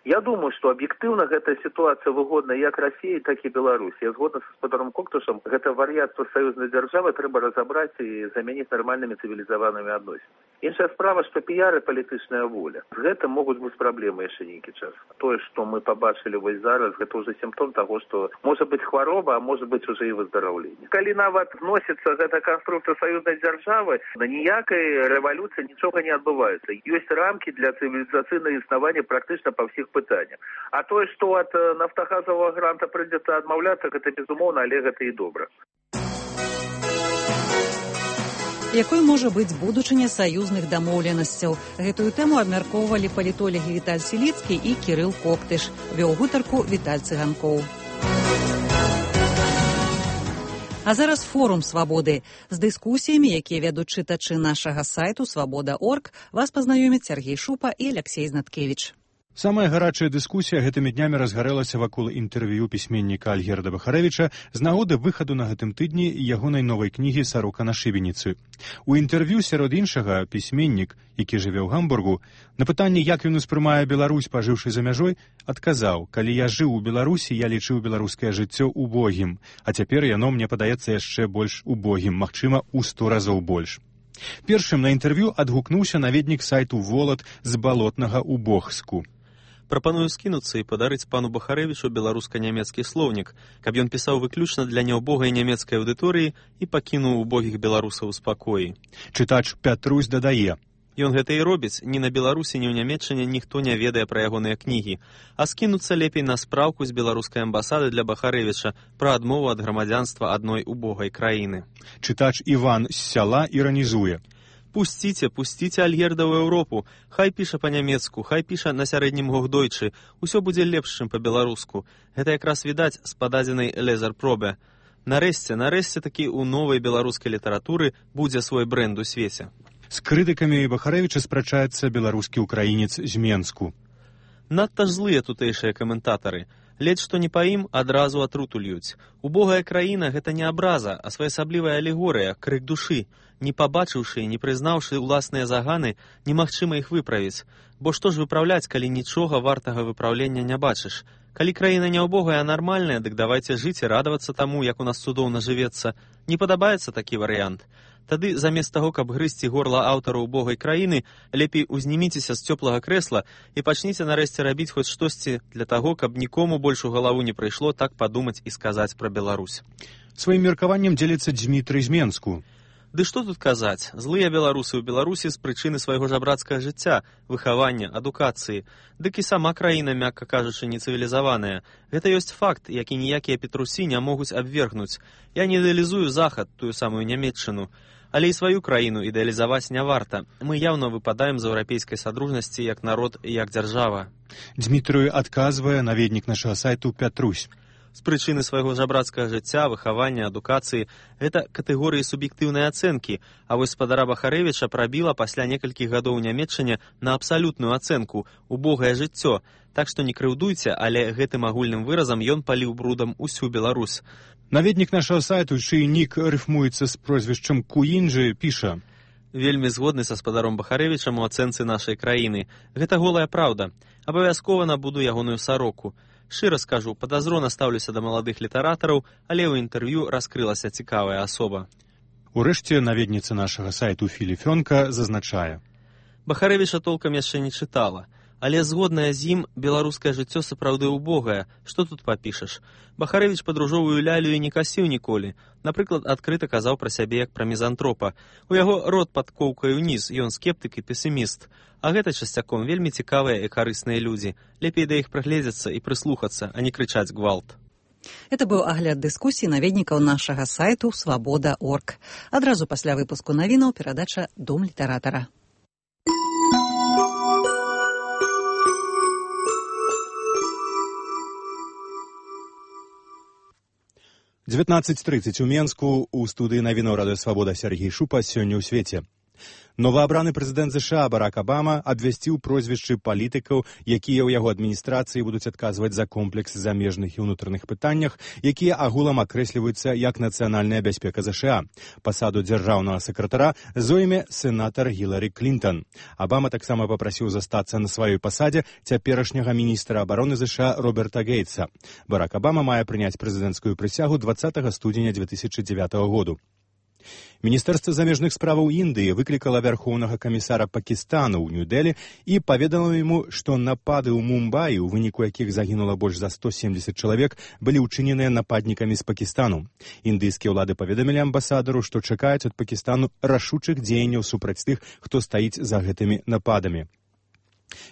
Я думаю, что объективно эта ситуация выгодна як России, так и Беларуси. Я згодна с господаром Коктушем, это вар'ятство союзной державы треба разобрать и заменить нормальными цивилизованными отношениями. Іншая справа, что пиар и палітычная воля. С гэтым могут быть проблемы еще нейкі час. То, что мы побачили вось зараз, это уже симптом того, что может быть хвороба, а может быть уже и выздоровление. Калі нават вносится эта конструкция союзной державы, на ніякой революции ничего не отбывается. Есть рамки для цивилизационного існавання практично по всех пытаниях. А то, что от нафтогазового гранта придется отмовляться, это безумовно, але гэта и добра. Якой можа быць будучыня саюзных дамоўленасцяў? Гэтую тэму абмяркоўвалі палітолагі Віталь Сіліцкі і Кірыл Коктыш. Вёў гутарку Віталь Цыганкоў. А зараз форум «Свабоды». З дыскусіямі, якія вядуць чытачы нашага сайту свабода точка орг, вас пазнаёмяць Сергей Шупа і Алексей Знаткевич. Самая гарачая дыскусія гэтымі днямі разгарэлася вакол інтэрв'ю пісьменніка Альгерда Бахарэвіча з нагоды выхаду на гэтым тыдні ягонай новай кнігі «Сарока на шыбеніцы». У інтэрв'ю сярод іншага пісьменнік, які жыве ў Гамбургу, на пытанне, як ён успрымае Беларусь, пажыўшы за мяжой, адказаў: «Калі я жыў у Беларусі, я лічыў беларускае жыццё убогім, а цяпер яно мне падаецца яшчэ больш убогім, магчыма, у сто разоў больш». Першым на інтэрв'ю адгукнуўся наведнік сайту «Волат» з балотнага Убогску. Прапаную скінуцца і падарыць пану Бахарэвічу беларуска-нямецкі слоўнік, каб ён пісаў выключна для няўбогай нямецкай аўдыторыі і пакінуў убогіх беларусаў у спакоі. Чытач Пятрусь дадае: Ён гэта і робіць, ні на Беларусі, ні ў Нямецчыне ніхто не ведае пра ягоныя кнігі, а скінуцца лепей на спраўку з беларускай амбасады для Бахарэвіча пра адмову ад грамадзянства адной убогай краіны. Чытач Іван з сяла іранізуе: Пусціце, пусціце Альгерда ў Еўропу, хай піша па-нямецку, хай піша на сярэднім гохдойчы, усё будзе лепш, чым па-беларуску. Гэта якраз відаць з пададзенай лезар-пробе. Нарэшце, нарэшце такі ў новай беларускай літаратуры будзе свой брэнд у свеце. З крытыкамі Бахарэвіча спрачаецца беларускі ўкраінец з Менску. Надта ж злыя тутэйшыя каментатары. Ледзь што не па ім адразу атруту льюць. Убогая краіна — гэта не абраза, а своеасаблівая алегорыя, крык душы. Не пабачыўшы і не прызнаўшы ўласныя заганы, немагчыма іх выправіць. Бо што ж выпраўляць, калі нічога вартага выпраўлення не бачыш? Калі краіна не убогая, а нармальная, дык давайце жыць і радавацца таму, як у нас цудоўна жывецца. Не падабаецца такі варыянт? Тады, замест таго, каб грызці горла аўтара убогай краіны, лепей узніміцеся з цёплага крэсла і пачніце нарэшце рабіць хоць штосьці для таго, каб нікому больш у галаву не прыйшло так падумаць і сказаць пра Беларусь. Сваім меркаваннем дзеліцца Дзмітрый з Менску. Ды што тут казаць? Злыя беларусы ў Беларусі з прычыны свайго жабрацкага жыцця, выхавання, адукацыі. Дык і сама краіна, мякка кажучы, нецывілізаваная. Гэта ёсць факт, які ніякія петрусі не могуць абвергнуць. Я не ідэалізую Захад, тую самую Нямецчыну. Але і сваю краіну ідэалізаваць не варта. Мы яўна выпадаем з еўрапейскай садружнасці як народ і як дзяржава. Дзмітрый адказвае наведнік нашага сайту Пятрусь. З прычыны свайго жабрацкага жыцця, выхавання, адукацыі — гэта катэгорыі суб'ектыўнай ацэнкі, а вось спадара Бахарэвіча прабіла пасля некалькіх гадоў у Нямецчыне на абсалютную ацэнку — убогае жыццё. Так што не крыўдуйце, але гэтым агульным выразам ён паліў брудам усю Беларусь. Наведнік нашага сайту, чый нік рыфмуецца з прозвішчам Куінджы, піша: Вельмі згодны са спадаром Бахарэвічам у ацэнцы нашай краіны. Гэта голая праўда. Абавязкова набуду ягоную сароку. Шчыра скажу, падазрона стаўлюся да маладых літаратараў, але ў інтэрв'ю раскрылася цікавая асоба. Урэшце наведніца нашага сайту Філіфёнка зазначае: Бахарэвіча толкам яшчэ не чытала, але згодная з ім, беларускае жыццё сапраўды убогае. Што тут папішаш? Бахарэвіч падружовую лялю і не касіў ніколі. Напрыклад, адкрыта казаў пра сябе як пра мізантропа. У яго рот пад коўкай уніз, ён скептык і песіміст. А гэта часцяком вельмі цікавыя і карысныя людзі. Лепей да іх прыгледзецца і прыслухацца, а не крычаць гвалт. Это быў агляд дыскусіі наведнікаў нашага сайту свабода точка орг. Адразу пасля выпуску навінаў перадача «Дом літаратара». дзевятнаццаць трыццаць у Менску, у студыі навінаў радыё «Свабода» Сергей Шупа. Сёння ў свеце. Новаабраны прэзідэнт ЗША Барак Абама абвясціў прозвішчы палітыкаў, якія ў яго адміністрацыі будуць адказваць за комплекс замежных і ўнутраных пытаннях, якія агулам акрэсліваюцца як нацыянальная бяспека ЗША. Пасаду дзяржаўнага сакратара зойме сенатар Гілары Клінтон. Абама таксама папрасіў застацца на сваёй пасадзе цяперашняга міністра абароны ЗША Роберта Гейтса. Барак Абама мае прыняць прэзідэнцкую прысягу дваццатага студзеня две тысячы дзевятага году. Міністэрства замежных справаў Індыі выклікала вярхоўнага камісара Пакістану ў Нью-Дэлі і паведамила яму, што напады ў Мумбаі, у выніку якіх загінула больш за сто семдзесят чалавек, былі ўчыненыя нападнікамі з Пакістану. Індыйскія ўлады паведамілі амбасадару, што чакаюць ад Пакістану рашучых дзеянняў супраць тых, хто стаіць за гэтымі нападамі.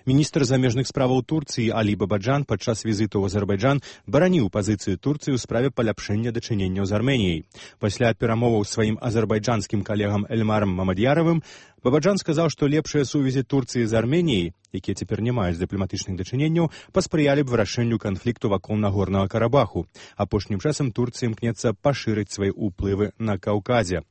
Міністр замежных справаў Турцыі Алі Бабаджан падчас візіту ў Азербайджан бараніў пазіцыю Турцыі ў справе паляпшэння дачыненняў з Арменіяй. Пасля перамоваў сваім азербайджанскім калегам Эльмарам Мамад'яравым Бабаджан сказаў, што лепшыя сувязі Турцыі з Арменіяй, якія цяпер не маюць дыпламатычных дачыненняў, паспрыялі б вырашэнню канфлікту вакол Нагорнага Карабаху. Апошнім часам Турцыя імкнецца пашырыць свае ўплывы на Каўказе.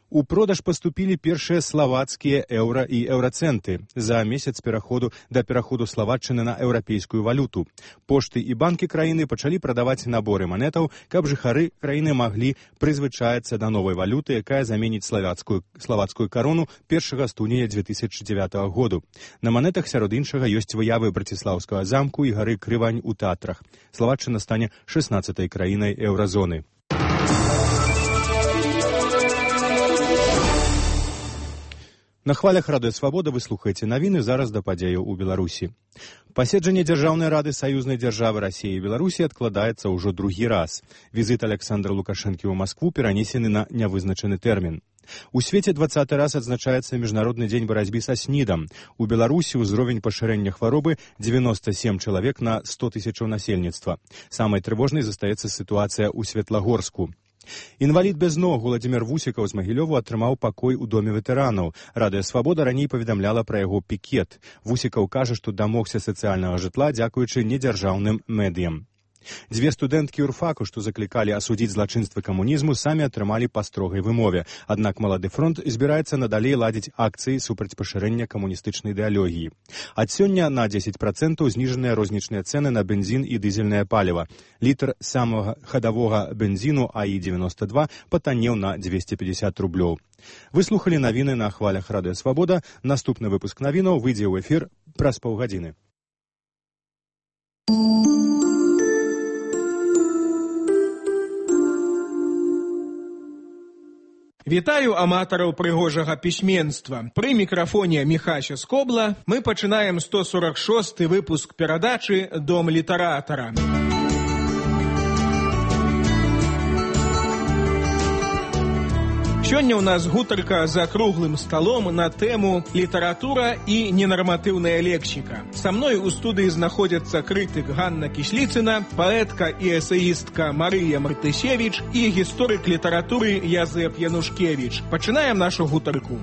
У продаж паступілі першыя славацкія еўра і еўрацэнты за месяц пераходу да пераходу Славатчыны на еўрапейскую валюту. Пошты і банкі краіны пачалі прадаваць наборы манетаў, каб жыхары краіны маглі прызвычацца да новай валюты, якая заменіць славацкую, славацкую карону першага студзеня две тысячы дзевятага году. На манетах сярод іншага ёсць выявы Браціслаўскага замку і гары Крывань у Татрах. Славатчына стане шаснаццатай краінай еўразоны. На хвалях Радыё Свабода вы слухаеце навіны, зараз да падзеяў у Беларусі. Паседжанне Дзяржаўнай рады саюзнай дзяржавы Расіі і Беларусі адкладаецца ўжо другі раз. Візіт Александра Лукашэнкі ў Маскву перанесены на нявызначаны тэрмін. У свеце дваццаты раз адзначаецца Міжнародны дзень барацьбы са снідам. У Беларусі ўзровень пашырэння хваробы дзевяноста сем чалавек на сто тысячаў насельніцтва. Самай трывожнай застаецца сітуацыя ў Светлагорску. Інвалід без ног Уладзімір Вусікаў з Магілёву атрымаў пакой у доме ветэранаў. Радыё Свабода раней паведамляла пра яго пікет. Вусікаў кажа, што дамогся сацыяльнага жытла дзякуючы недзяржаўным медыям. Дзве студэнткі юрфаку, што заклікалі асудзіць злачынствы камунізму, самі атрымалі па строгай вымове. Аднак Малады фронт збіраецца надалей ладзіць акцыі супраць пашырэння камуністычнай ідэалогіі. Ад сёння на дзесяць працэнтаў зніжаныя рознічныя цэны на бензін і дызельнае паліва. Літр самага хадавога бензіну А І дзевяноста два патаннеў на дзвесце пятьдесят рублёў. Вы слухалі навіны на хвалях Радыё Свабода. Наступны выпуск навінаў выйдзе ў эфір праз паўгадзіны. Вітаю аматараў прыгожага пісьменства. Пры мікрафоне Міхася Скобла мы пачынаем сто сорок шосты выпуск перадачы «Дом літаратара». Сёння ў нас гутарка за круглым сталом на тэму «Літаратура і ненарматыўная лексіка». Са мной у студыі знаходзяцца крытык Ганна Кісліцына, паэтка і эсеістка Марыя Мартысевіч і гісторык літаратуры Язэп Янушкевіч. Пачынаем нашу гутарку.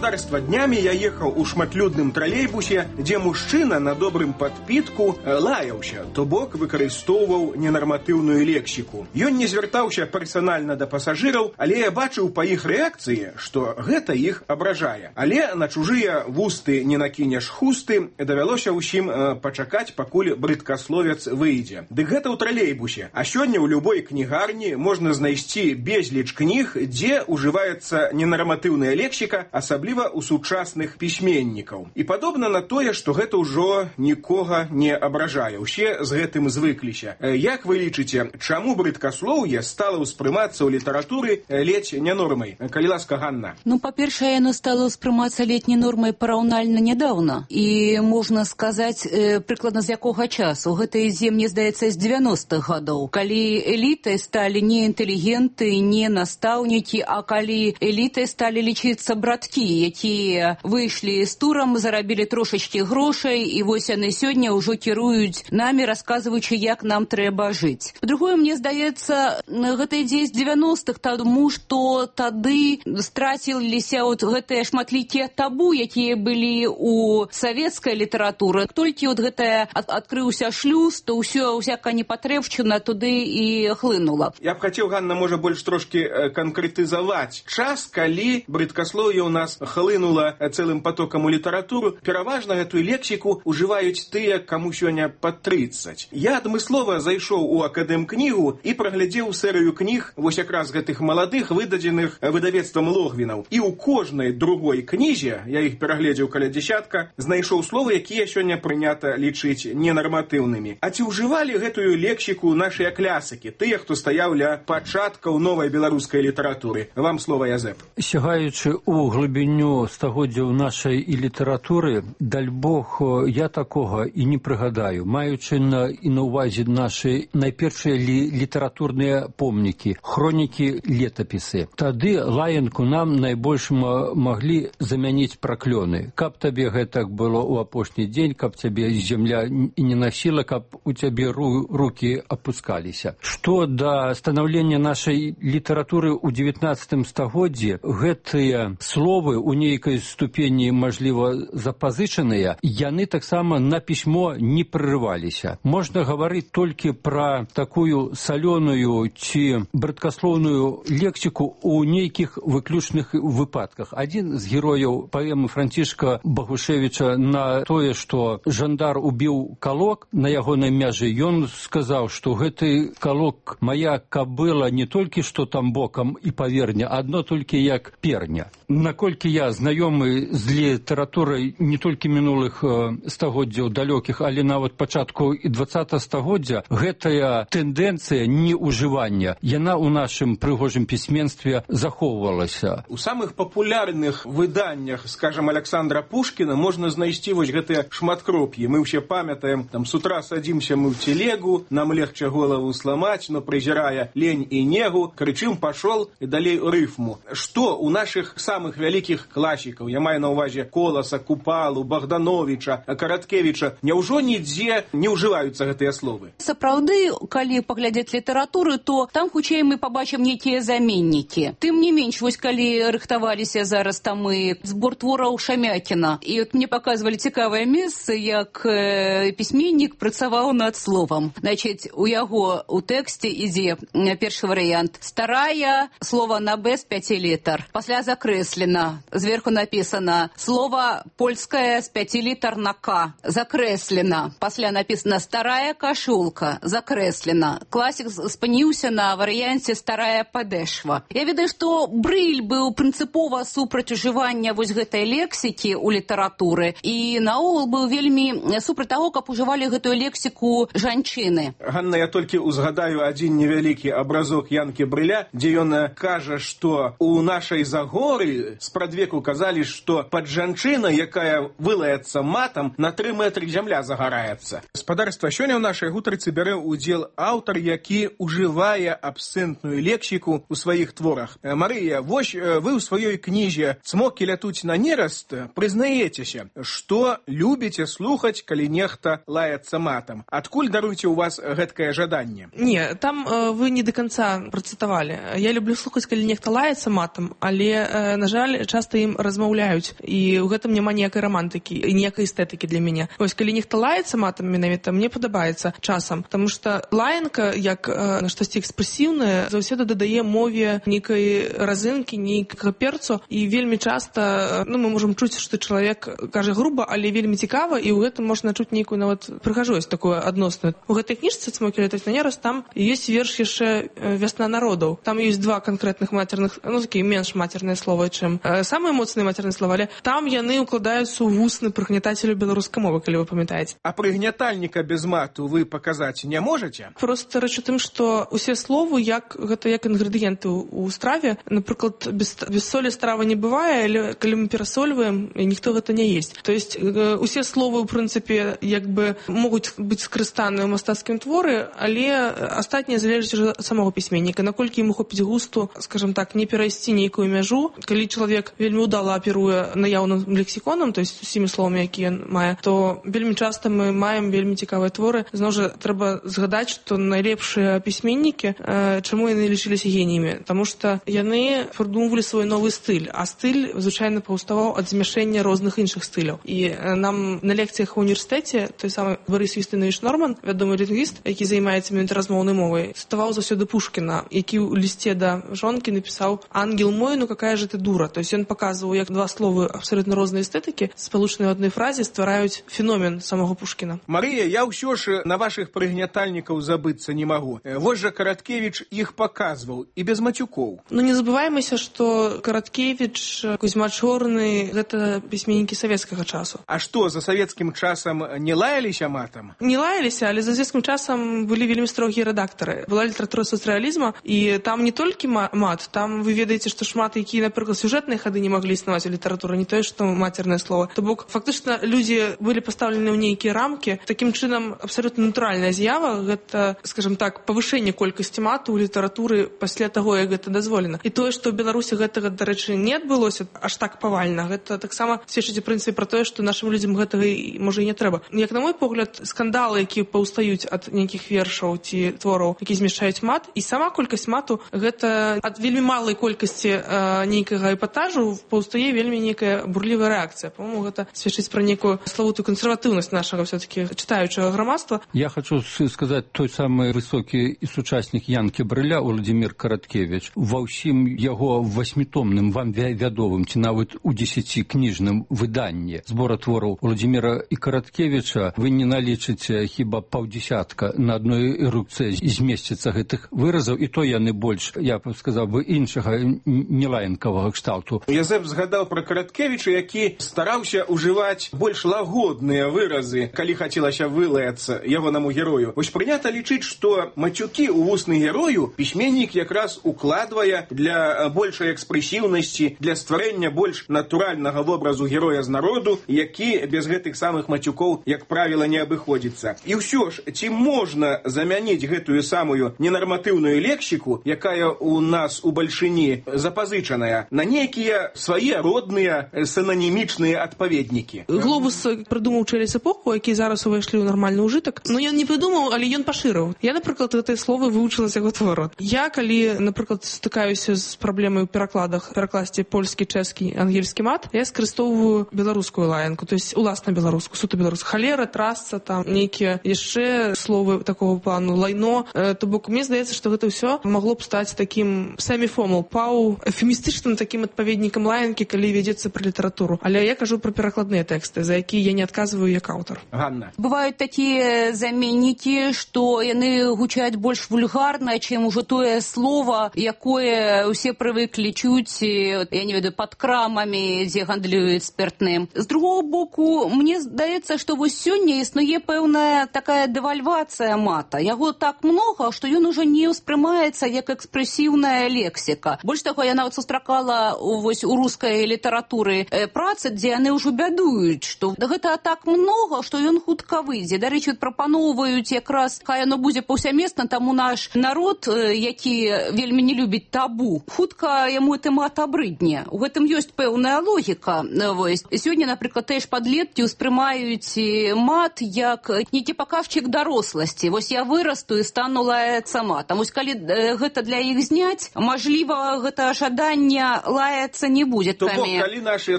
Господарства днями я ехаў у шматлюдным тралейбусе, дзе мужчына на добрым падпітку лаяўся, то бок выкарыстоўваў ненарматыўную лексіку. Ён не звяртаўся персанальна да пасажыраў, але я бачыў па іх рэакцыі, што гэта іх абражае. Але на чужыя вусты не накінеш хусты, давялося ўсім пачакаць, пакуль брыдкасловец выйдзе. Дык гэта ў тралейбусе. А сёння ў любой кнігарні можна знайсці безліч кніг, дзе ўжываецца ненарматыўная лексіка, асабліва у сучасных пісьменнікаў. І падобна на тое, што гэта ўжо нікога не абражае. Усе з гэтым звыкліся. Як вы лічыце, чаму брыдкаслоўе стала ўспрымацца ў літаратуры ледзь не нормай? Калі ласка, Ганна. Ну, па-першае, яно стало ўспрымацца летняй нормай параўнальна нядаўна. І можна сказаць, э, прыкладна з якога часу. Гэта ідзе, мне здаецца, з дзевяностых гадоў. Калі элітай сталі не інтэлігенты, не настаўнікі, а калі элітай сталі лічыцца браткі якія выйшлі з турам, зарабілі трошачкі грошай, і вось яны сёння ўжо кіруюць намі, расказваючы, як нам трэба жыць. Па-другое, мне здаецца, гэта ідзе з дзевяностых, таму што тады страціліся от гэтыя шматлікія табу, якія былі у савецкай літаратуры. Толькі от гэтая адкрыўся шлюз, то ўсё, усяка непатрэбшчына туды і хлынула. Я б хацеў, Ганна, можа, больш трошкі канкрэтызаваць час, калі брыдкаслоўе ў нас хлынула цэлым потокам у літаратуру. Пераважна гэтую лексіку ўжываюць тыя, каму сёння пад трыццаць. Я адмыслова зайшоў у акадэмкнігу і праглядзеў серыю кніг вось якраз гэтых маладых, выдадзеных выдавецтвам Логвінаў. І ў кожнай другой кнізе, я іх перагледзеў каля дзесятка, знайшоў словы, якія сёння прынята лічыць ненарматыўнымі. А ці ўжывалі гэтую лексіку нашыя клясыкі, тыя, хто стаяў ля пачаткаў новай беларускай літаратуры? Вам слова, Язэп. Сягаючы ў глыбіню стагоддзяў нашай і літаратуры, даль Бог, я такога і не прыгадаю, маючы на, і на ўвазе нашы найпершыя лі, літаратурныя помнікі, хронікі, летапісы. Тады лаянку нам найбольш маглі замяніць праклёны. Каб табе гэтак было ў апошні дзень, каб цябе зямля і не насіла, каб у цябе ру, рукі апускаліся. Што да станаўлення нашай літаратуры ў дзевятнаццатым стагоддзі, гэтыя словы ў нейкай ступені, мажліва, запазычаныя, яны таксама на пісьмо не прырываліся. Можна гаварыць толькі пра такую салёную ці брыдкаслоўную лексіку ў нейкіх выключных выпадках. Адзін з герояў паэмы Францішка Багушевіча на тое, што жандар убіў калок на ягонай мяжы, ён сказаў, што гэты калок мая кабыла не толькі што там бокам і паверня, адно толькі як перня. Наколькі я знаёмы з літаратурай не толькі мінулых стагоддзяў далёкіх, але нават пачатку і дваццатага стагоддзя, гэтая тэндэнцыя неўжывання, яна ў нашым прыгожым пісьменстве захоўвалася. У самых папулярных выданнях, скажем, Александра Пушкіна можна знайсці вось гэтыя шматкроп'і. Мы ўсе памятаем, там, с утра садимся мы в телегу, нам легче голову сломать, но презирая лень и негу, кричим «пошел» и далей рифму. Что у наших самых великих классиков, я маю на увазе Коласа, Купалу, Богдановича, Караткевича, няўжо нідзе не ўжываюцца гэтыя словы? Сапраўды, калі паглядзець літаратуру, то там хутчэй мы пабачым нейкія заменнікі. Тым не менш, вось калі рыхтаваліся зараз там і збор твораў Шамякіна, і от мне паказвалі цікавае месца, як э, пісьменнік працаваў над словам. Значыць, у яго у тэксце ідзе першы варыянт. Старая, слова на Б з пяці літар. Пасля закрэслена. Зверху написано слово польское з пяці літар на К. Закрэслена. Пасля написано старая кашулка. Закрэслена. Класік спыніўся на варыянце старая падэшва. Я ведаю, што Брыль быў прынцыпова супраць ужывання вось гэтай лексікі ў літаратуры і наогул быў вельмі супраць таго, каб ужывалі гэтую лексіку жанчыны. Ганна, я толькі узгадаю адзін невялікі абразок Янкі Брыля, дзе ён кажа, што у нашай Загоры спрадвеку казалі, што пад жанчына, якая вылаецца матам, на тры метры зямля загараецца. Спадарства, сёння ў нашай гутарцы бярэ ўдзел аўтар, які ўжывае абсцэнтную лексіку ў сваіх творах. Марыя, вось вы ў сваёй кнізе «Цмокі лятуць на нераст» прызнаецеся, што любіце слухаць, калі нехта лаецца матам. Адкуль, даруйце, у вас гэткае жаданне? Не, там э, вы не до конца працытавалі. Я люблю слухаць, калі нехта лаецца матам, але, э, на жаль, часта ім размаўляюць, і ў гэтым няма ніякай романтыкі і ніякай эстэтыкі для мяне. Вось, калі нехта лаецца матам, менавіта, мне падабаецца часам, потому что лаянка, як э, штосьці экспрэсіўнае, заўсёды дадае мове нейкай разынкі, нейкага перцу, і вельмі часта, ну, мы можам чуць, што чалавек кажа груба, але вельмі цікава, і ў гэтым можна чуць нейкую нават прыгажосць такую адносную. У гэтай кніжцы «Цмокі лятуць на нераст» там ёсць верш яшчэ «Вясна народаў». Там ёсць два канкрэтных матерных, ну, такія менш матерныя словы, чым э, самыя моцныя матерныя словы, але там яны укладаюцца ў вусны прыгнятацелю беларускай мовы, калі вы памятаеце. А прыгнятальніка без мату вы паказаць не можаце? Просто рэч у тым, што усе словы, як гэта як інгрэдыенты ў страве, напрыклад, без, без солі страва не бывае, але калі мы перасольваем, ніхто гэта не есть. То есть э, усе словы, ў прынцыпе, як бы могуць быць скарыстаныя ў мастацкім творы, але астатняе залежыць ад самого пісьменніка, наколькі яму хопіць густу, скажем так, не перайсці нейкую мяжу. Калі чалавек вельмі вельмі ўдала аперуе наяўным лексіконам, то есть усімі словамі, якія мае, то вельмі часта мы маем вельмі цікавыя творы. Зноў жа трэба згадаць, што найлепшыя пісьменнікі, э, чаму яны лічыліся геніямі? Таму што яны прыдумвалі свой новы стыль, а стыль звычайна паўставаў ад змяшэння розных іншых стыляў. І э, нам на лекцыях у універсітэце той самы Борис Юстинович Норман, вядомы лінгвіст, які займаецца менавіта размоўнай мовай, цытаваў заўсёды Пушкіна, які ў лісце да жонкі напісаў: «Ангел мой, ну какая же ты дура». То есть ён паказваў, як два словы абсолютно розныя эстэтыкі, спалучаныя ў адной фразе, ствараюць феномен самого Пушкіна. Марыя, я ўсё ж на вашых прыгнятальнікаў забыцца не магу. Вось жа Караткевіч іх паказваў і без мацюкоў. Ну не забываемся, што Караткевіч, Кузьма Чорны — гэта пісьменнікі савецкага часу. А што, за савецкім часам не лаяліся матам? Не лаяліся, але за савецкім часам былі вельмі строгія рэдактары. Была літаратура сацрэалізма, і там не толькі мат, там вы ведаеце, што шмат якія, напрыклад, сюжэтныя хады не маглі існаваць у літаратуры, не тое, што мацернае слово. То бок, фактычна, людзі былі пастаўлены ў нейкія рамкі. Такім чынам, абсалютна натуральная з'ява — гэта, скажем так, павышэнне колькасці мату ў літаратуры пасля таго, як гэта дазволена. І тое, што ў Беларусі гэтага, дарэчы, не адбылося аж так павальна, гэта таксама сведчыць у прынцыпе пра тое, што нашым людзям гэтага, можа, і не трэба. Як на мой погляд, скандалы, якія паўстаюць ад нейкіх вершаў ці твораў, які змяшчаюць мат, і сама колькасць мату — гэта ад вельмі малай колькасці э, нейкага эпатажу паўстае вельмі нейкая бурлівая рэакцыя. По-моему, гэта сведчыць пра нейкую славутую кансерватыўнасць нашага все-таки чытаючага грамадства. Я хочу сказаць, той самы высокі і сучаснік Янкі Брыля, Уладзімір Караткевіч, ва ўсім яго васьмітомным, вам вядовым, ці нават у дзесяцікніжным выданні збора твораў Уладзіміра і Караткевіча вы не налічыце хіба паўдзесятка на адной эрупцыі змесціцца гэтых выразаў, і то яны больш, я б сказаў бы, іншага нелаянкавага кшталту. Язэп згадаў пра Караткевіча, які стараўся ўжываць больш лагодныя выразы, калі хацелася вылаяцца ягонаму герою. Вось прынята лічыць, што мацюкі ў вусны герою пісьменнік якраз укладвае для большай экспрэсіўнасці, для стварэння больш натуральнага вобразу героя з народу, які без гэтых самых мацюкоў, як правіла, не абыходзіцца. І ўсё ж, ці можна замяніць гэтую самую ненарматыўную лексіку, якая у нас у бальшыні запазычаная, на нейкія свае родныя синонімічныя адпаведнікі? Глобус прыдумаў через эпоху, які зараз увайшлі ў нармальны ўжытак. Ну, ён не прыдумаў, але ён пашырыў. Я, напрыклад, гэтыя словы вывучыла з яго твору. Я, калі, напрыклад, стыкаюся з праблемай у перакладах, перакласці польскі, чэшскі, ангельскі мат, я скарыстоўваю беларускую лаянку, то есть уласна беларускую, суто беларускую. Халера, трасца, там нейкія яшчэ словы такого плану, лайно. То бок, мне здаецца, што гэта ўсё магло б стаць такім сэміфомал, пау, эфемістычным такім адпаведнікам лаянкі, калі вядзецца пра літаратуру. Але я кажу пра перакладныя тэксты, за якія я не адказваю як аўтар. Ганна. Бываюць такія заменнікі, што яны гучаць больш вульгарна, чым ужо тое слово, якое ўсе прывыклі чуць, я не ведаю, пад крамамі, дзе гандлююць спиртным. З другого боку, мне здаецца, што вось сёння існуе пэўная такая дэвальвацыя мата. Яго так многа, што ён ужо не ўспрымаецца як экспрэсіўная лексіка. Больш таго, я нават сустракала вось у рускай літаратуры працы, дзе яны ўжо бядуюць, што гэта так многа, што ён хутка выйдзе. Дарэчы, прапаноўваюць якраз, хай яно будзе паўсямесна, таму наш народ, які вельмі не любіць табу, хутка яму гэты мат абрыдне. У гэтым ёсць пэўная логіка. Вось. Сёння, напрыклад, тыя ж падлеткі ўспрымаюць мат як нейкі паказчык даросласці. Вось я вырасту і стану лаяцца матам. Вось калі гэта для іх зняць, мажліва, гэта жаданне лаяцца не будзе. То бок, калі нашыя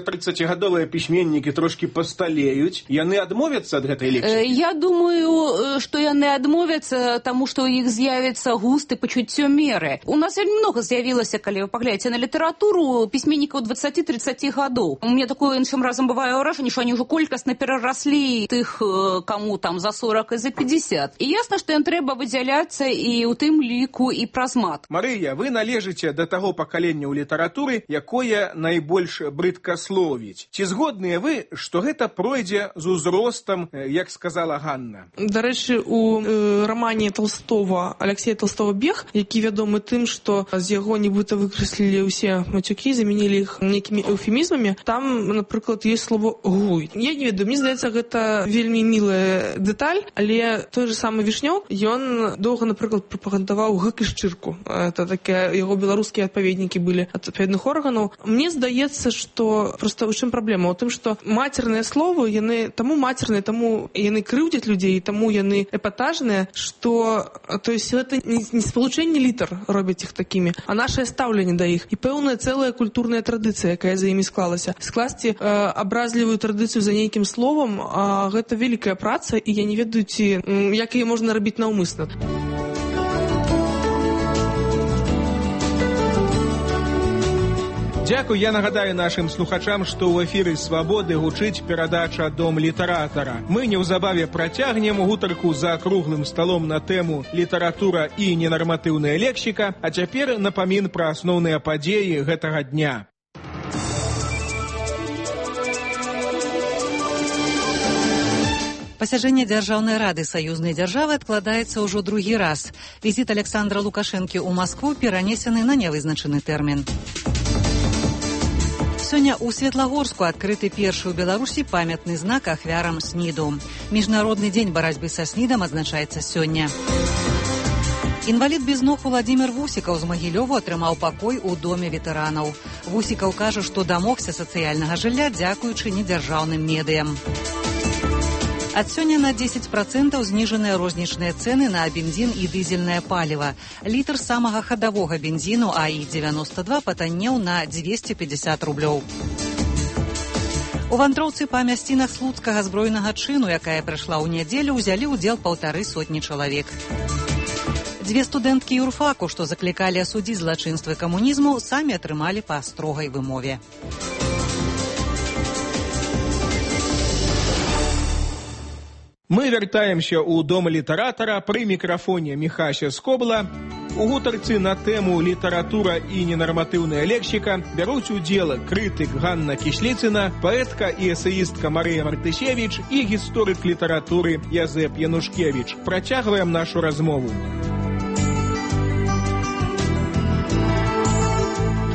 трыццацігадовыя пісьменнікі трошкі пасталеюць, яны адмовяцца ад гэтай лексікі? Я думаю, што яны адмовяцца, таму што ў іх з'явіцца густ і пачуццё меры. У нас вельмі многа з'явілася, калі вы паглядзіце на літаратуру, пісьменнікаў дваццаці-трыццаці гадоў. У мяне такое іншым разам бывае ўражанне, што они ўжо колькасна перараслі тых, каму там за сорок і за пятьдесят. І ясна, што ім трэба выдзяляцца і ў тым ліку і праз мат. Марыя, вы належыце да таго пакалення ў літаратуры, якое найбольш брыдкасловіць. Ці згодныя вы, што гэта пройдзе з узростам, як сказала Ганна? Дарэчы, у э, рамане Толстого, Алексея Толстого «Бег», які вядомы тым, што з яго нібыта выкрэслілі ўсе мацюкі, замянілі іх нейкімі эўфемізмамі, там, напрыклад, ёсць слово «гуй». Я не ведаю, мне здаецца, гэта вельмі мілая дэталь, але той же самы Вішнёў, ён доўга, напрыклад, прапагандаваў гык і шчырку. Это такія яго беларускія адпаведнікі былі ад адпаведных органаў. Мне Мне здаецца, што проста ў чым праблема у тым, што мацерныя словы яны таму мацерныя, таму яны крыўдзяць людзей, таму яны эпатажныя, што то есть гэта не спалучэнне літар робяць іх такімі, а нашае стаўленне да іх і пэўная цэлая культурная традыцыя, якая за імі склалася. Скласці э, абразлівую традыцыю за нейкім словам, а гэта вялікая праца, і я не ведаю, ці як яе можна рабіць наўмысна. Дзякуй, я нагадаю нашым слухачам, што ў эфіры «Свабоды» гучыць перадача «Дом літаратара». Мы неўзабаве працягнем гутарку за круглым сталом на тэму «Літаратура і ненарматыўная лексіка», а цяпер напамін пра асноўныя падзеі гэтага дня. Пасяджэнне Дзяржаўнай рады саюзнай дзяржавы адкладаецца ўжо другі раз. Візіт Александра Лукашэнкі ў Маскву перанесены на нявызначаны тэрмін. Сёння ў Светлагорску адкрыты першы ў Беларусі памятны знак ахвярам СНІДу. Міжнародны дзень барацьбы са СНІДам адзначаецца сёння. Інвалід без ног Уладзімір Вусікаў з Магілёву атрымаў пакой у доме ветэранаў. Вусікаў кажа, што дамогся сацыяльнага жылля дзякуючы недзяржаўным медыям. Ад сёння на дзесяць працэнтаў зніжаныя рознічныя цэны на бензін і дызельнае паліва. Літр самага хадавога бензіну А І дзевяноста два патаннеў на дзвесце пятьдесят рублёў. У вандроўцы па мясцінах слуцкага збройнага чыну, якая прайшла ў нядзелю, узялі ўдзел паўтары сотні чалавек. Дзве студэнткі юрфаку, што заклікалі асудзіць злачынствы камунізму, самі атрымалі па строгай вымове. Мы вяртаемся ў дом літаратара, пры мікрафоне Міхася Скобла. У гутарцы на тэму «Літаратура і ненарматыўная лексіка» бяруць удзел крытык Ганна Кісліцына, паэтка і эсеістка Марыя Мартысевіч і гісторык літаратуры Язэп Янушкевіч. Працягваем нашу размову.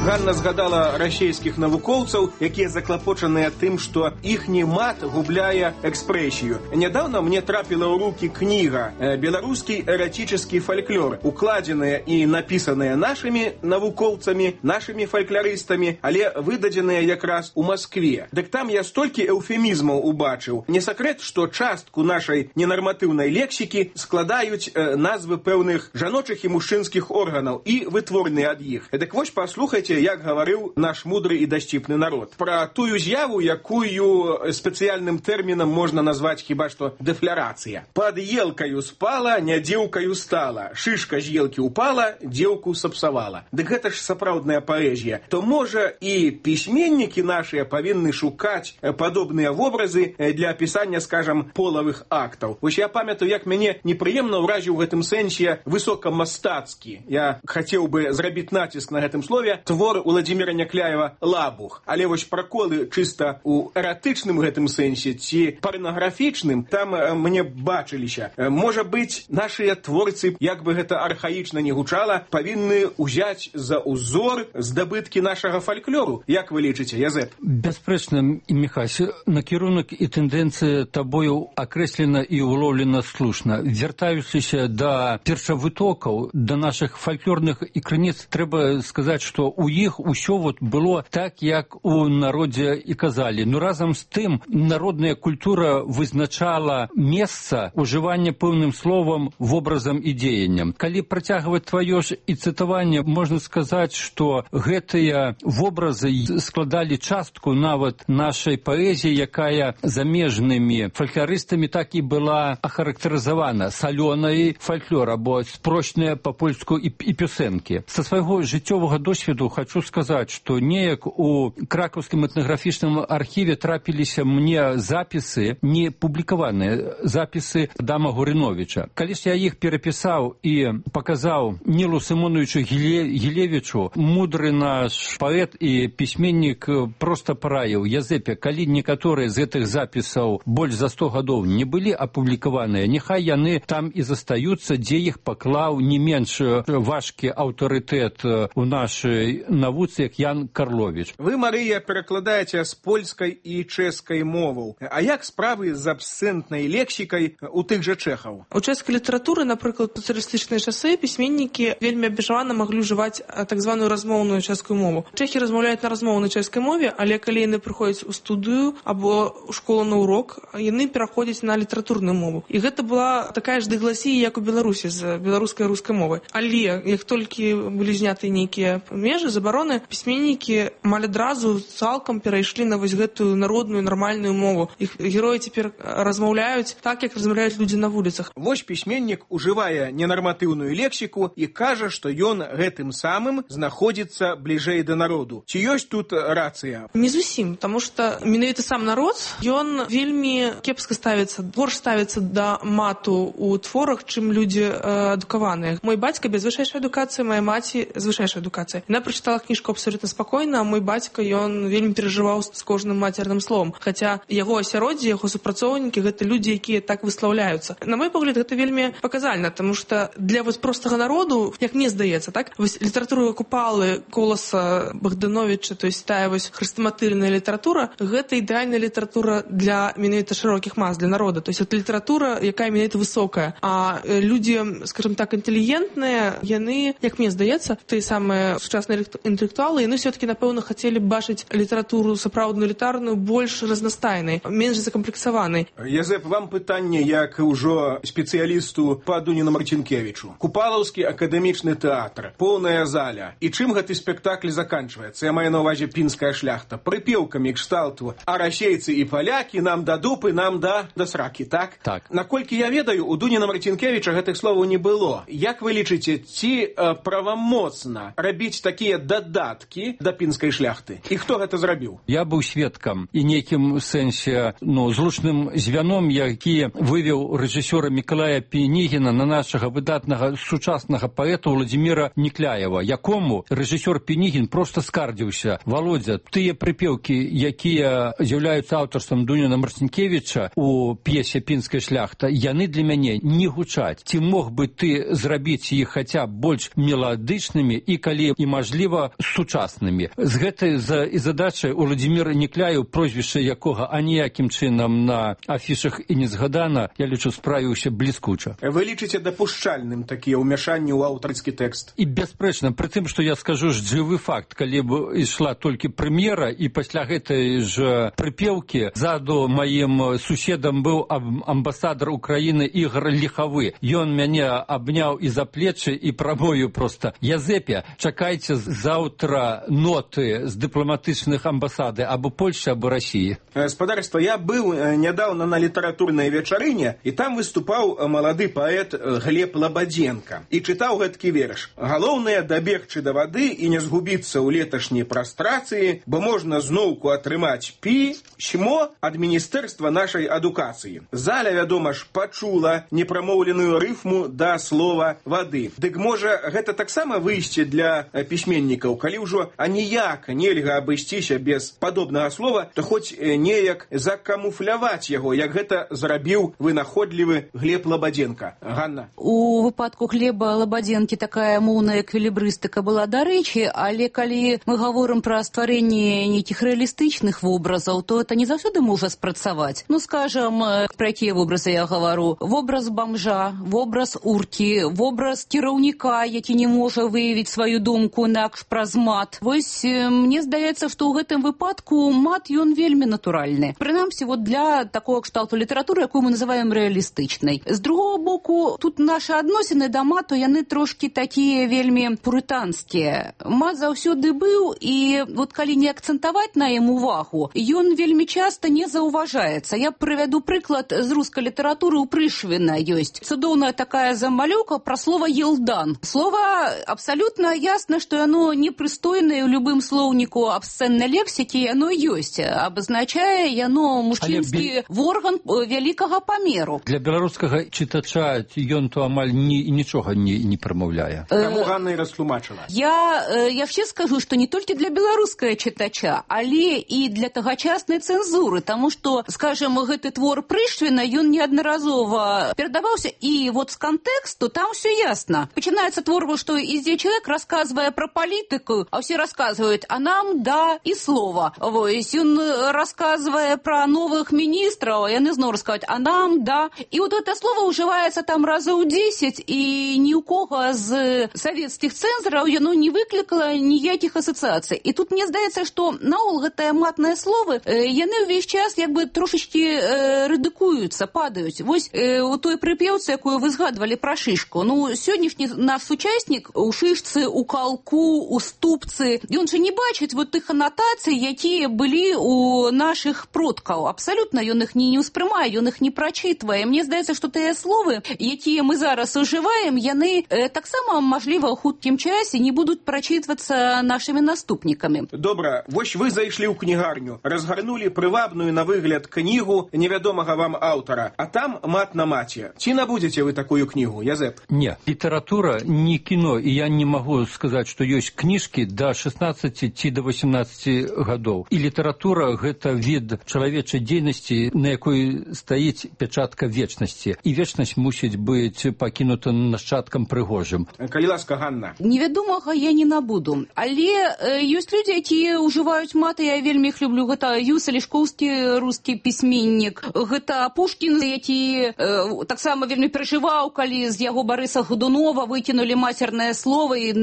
Ганна згадала расійскіх навукоўцаў, якія заклапочаныя тым, што іхні мат губляе экспрэсію. Нядаўна мне трапіла ў рукі кніга «Беларускі эратический фальклор», укладзеная і напісаная нашымі навукоўцамі, нашымі фальклорыстамі, але выдадзеная якраз у Маскве. Дык там я столькі эўфемізмаў убачыў. Не сакрэт, што частку нашай ненарматыўнай лексікі складаюць э, назвы пэўных жаночых і мужчынскіх органаў і вытворныя ад іх. Дык вось паслухайце, як гаварыў наш мудры і дасціпны народ. Пра тую з'яву, якую спецыяльным тэрмінам можна назваць хіба што дэфлярацыя. Пад елкаю спала, не дзеўкаю стала. Шышка з елкі упала, дзеўку сапсавала. Дык гэта ж сапраўдная паэзія. То, можа, і пісьменнікі нашыя павінны шукаць падобныя вобразы для апісання, скажам, полавых актаў. Вось я памятаю, як мяне непрыемна ўразіў у гэтым сэнсе высокамастацкі. Я хацеў бы зрабіць націск на гэтым слове твор Уладзіміра Някляева «Лабух». Але вось праколы чыста ў эратычным гэтым сэнсе ці парнаграфічным там мне бачыліся. Можа быць, нашыя творцы, як бы гэта архаічна не гучала, павінны ўзяць за ўзор здабыткі нашага фальклору. Як вы лічыце, Язэп? Бясспрэчна, Міхась, накірунак і тэндэнцыя табою акрэслена і улоўлена слушна. Вяртаючыся да першавытокаў, да нашых фальклорных і крыніц, трэба сказаць, што у іх усё вот было так, як у народзе і казалі. Но разам з тым народная культура вызначала месца ўжывання пэўным словам, вобразам і дзеяннем. Калі працягваць тваё ж і цытаванне, можна сказаць, што гэтыя вобразы складалі частку нават нашай паэзіі, якая замежнымі фальклорыстамі так і была ахарактарызавана салёнай фальклор або спрочная па-польску і, і песенкі. Са свайго жыццёвага досведу хочу сказаць, што неяк у кракаўскім этнаграфічным архіве трапіліся мне запісы, не публікаваныя запісы Адама Гурыновіча. Калі ж я іх перапісаў і паказаў Нілу Сымоновичу Гілевічу, мудры наш паэт і пісьменнік проста параіў: Язэпе, калі некаторыя з гэтых запісаў больш за сто гадоў не былі апублікаваныя, няхай яны там і застаюцца, дзе іх паклаў не менш важкі аўтарытэт у нашай навуцы, як Ян Карлович. Вы, Марыя, перакладаеце з польскай і чэшскай моваў. А як справы з абсцэнтнай лексікай у тых жа чэхаў? У чэшскай літаратуры, напрыклад, у сацыялістычныя часы пісьменнікі вельмі абмежавана маглі ўжываць так званую размоўную чэшскую мову. Чэхі размаўляюць на размоўнай чэшскай мове, але калі яны прыходзяць у студыю або ў школу на урок, яны пераходзяць на літаратурную мову. І гэта была такая ж дыгласія, як у Беларусі з беларускай і рускай мовай. Але як толькі былі зняты нейкія межы, забароны, пісьменнікі амаль адразу цалкам перайшлі на вось гэтую народную нармальную мову. Іх героі цяпер размаўляюць так, як размаўляюць людзі на вуліцах. Вось пісьменнік ужывае ненарматыўную лексіку і кажа, што ён гэтым самым знаходзіцца бліжэй да народу. Ці ёсць тут рацыя? Не зусім, таму што менавіта сам народ, ён вельмі кепска ставіцца, горш ставіцца да мату у творах, чым людзі э, адукаваныя. Мой бацька без вышэйшай адукацыі, моя маці з вышэйшай адукацыяй. Яна прачытала кніжку абсолютна спакойна, а мой бацька, ён вельмі перажываў з кожным мацерным словом. Хаця яго асяроддзе, яго супрацоўнікі гэта людзі, якія так выслаўляюцца. На мой погляд, гэта вельмі паказальна, таму што для вось простага народу, як мне здаецца, так, вось літаратура Купалы, Коласа, Богдановича, то есть тая вось хрестаматыльная літаратура, гэта ідэальная літаратура для менавіта шырокіх мас, для народа. То есть это літаратура, якая менавіта высокая. А людзі, скажем так, інтэлігентныя, яны, як мне здаецца, тыя самыя сучасныя інтэлектуалы, яны все-таки, напэўна, хацелі б бачыць літаратуру сапраўдную літарную больш разнастайнай, менш закамплексаванай. Язэп, вам пытанне як ўжо спецыялісту па Дуніну Марцінкевічу. Купалаўскі акадэмічны тэатр, поўная заля. І чым гэты спектакль заканчваецца? Я маю на ўвазе пінская шляхта. Прыпеўкамі кшталту «А расейцы і палякі нам да дупы, нам да, да сракі», так? Так. Наколькі я ведаю, у Дуніна Марцінкевіча гэтых словаў не было. Як вы лічыце, ці э, правамоцна рабіць такія дадаткі да пінскай шляхты? І хто гэта зрабіў? Я быў сведкам і нейкім сэнсе, ну, злучным звяном, які вывеў рэжысёра Мікалая Пінігіна на нашага выдатнага сучаснага паэта Владзіміра Нікляева, якому рэжысёр Пінігін проста скардзіўся: Володя, тыя прыпеўкі, якія з'яўляюцца аўтарствам Дуніна Марцінкевіча у п'есе «Пінская шляхта», яны для мяне не гучаць. Ці мог бы ты зрабіць іх хаця больш меладычнымі і, калі і мажліва, сучаснымі? З гэтай за і задачай у Владзіміра Нікляеў, прозвішча якога аніякім чынам на афішах і не згадана, я лічу, справіўся бліскуча. Вы лічыце дапушчальным такія ўмяшанні ў аўтарскі тэкст? І бясспрэчна, пры тым, што я скажу ж жывы факт, калі б ішла толькі прэм'ера, і пасля гэтай ж прыпеўкі заду маім суседам быў амбасадар Украіны Ігор Ліхавы. Ён мяне абняў і за плечы і прамою проста: Язэпе, чакайце заўтра ноты з дыпламатычных амбасады або Польшчы, або Расіі. Спадарства, я быў нядаўна на літаратурнай вечарыне, і там выступаў малады паэт Глеб Лабадзенка і чытаў гэткі верш: «Галоўнае дабегчы да вады і не згубіцца ў леташняй прастрацыі, бо можна зноўку атрымаць пісьмо ад міністэрства нашай адукацыі». Заля, вядома ж, пачула непрамоўленую рыфму да слова «вады». Дык можа, гэта таксама выйсце для пісьменнікаў, калі ўжо аніяк нельга абысціся без падобнага слова, то хоць неяк закамуфляваць яго, як гэта зрабіў вынаходлівы Глеб Лабадзенка. Ганна. У выпадку Глеба Лабадзенкі такая моўная эквілібрыстыка была дарэчы, але калі мы гаворым пра стварэнне нейкіх рэалістычных вобразаў, то это не заўсёды можа спрацаваць. Ну, скажам, пра якія вобразы я гавару? Вобраз бамжа, вобраз уркі, вобраз кіраўніка, які не можа выявіць сваю думку інакш праз мат. Вось мне здаецца, што ў гэтым выпадку мат ён вельмі натуральны. Прынамсі, вот для такого кшталту літаратуры, якую мы называем рэалістычнай. З другого боку, тут нашы адносіны да мату, яны трошкі такія вельмі пурытанскія. Мат заўсёды быў, і вот калі не акцэнтаваць на ім увагу, ён вельмі часта не заўважаецца. Я прывяду прыклад з рускай літаратуры. У Прышвіна ёсць цудоўная такая замалёўка пра слова «елдан». Слова абсалютна ясна, што яно непрыстойнае ў любым слоўніку абсцэннай лексікі, яно ёсць. Абазначае яно мужчынскі бі... орган вялікага памеру. Для беларускага чытача ён то амаль ні, нічога не, не прамаўляе. Таму Ганна і растлумачыла. Я яшчэ скажу, што не толькі для беларускага чытача, але і для тагачаснай цэнзуры, таму што, скажем, гэты твор Прышвіна, ён неаднаразова перадаваўся, і вот з кантэксту там все ясна. Пачынаецца твор, што ідзе чалавек, расказвае пра палітыку, палітыкаю, а ўсе расказваюць, а нам да і слова. Вось, ён расказвае пра новых міністраў, яны зноў расказваюць, а нам да. І вот гэта слово ўжываецца там разоў дзесяць, і ні ў кого з савецкіх цэнзараў яно не выклікала ніякіх асацыяцый. І тут мне здаецца, што наогул гэтыя матныя словы, яны ўвесь час як бы трошечкі рэдыкуюцца, падаюць. Вось у той прыпеўцы, якую вы згадвалі пра шышку. Ну, сённяшні наш сучаснік у шышцы, у калку, у ступцы, ён жа не бачыць вот тых анатацый, якія былі у нашых продкаў. Абсалютна ён іх не, не ўспрымае, ён іх не прачытвае. Мне здаецца, што тыя словы, якія мы зараз ужываем, яны э, таксама, мажліва, ў хуткім часе не будуць прачытвацца нашымі наступнікамі. Добра, вось вы зайшлі ў кнігарню, разгарнулі прывабную на выгляд кнігу невядомага вам аўтара, а там мат на маце. Ці набудзеце вы такую кнігу, Язэп? Не, літаратура не кіно, і я не магу сказаць, што ёсць кніжкі да шестнадцати ці да восемнадцати гадоў. І літаратура – гэта від чалавечай дзейнасці, на якой стаіць пячатка вечнасці. І вечнасць мусіць быць пакінута нашчадкам прыгожым. Калі ласка, Ганна. Невядомага я не набуду. Але э, ёсць людзі, якія ўжываюць маты, я вельмі іх люблю. Гэта Юса Лешкоўскі, рускі пісьменнік. Гэта Пушкін, які э, таксама вельмі перажываў, калі з яго Барыса Годунова выкінулі мацернае слово і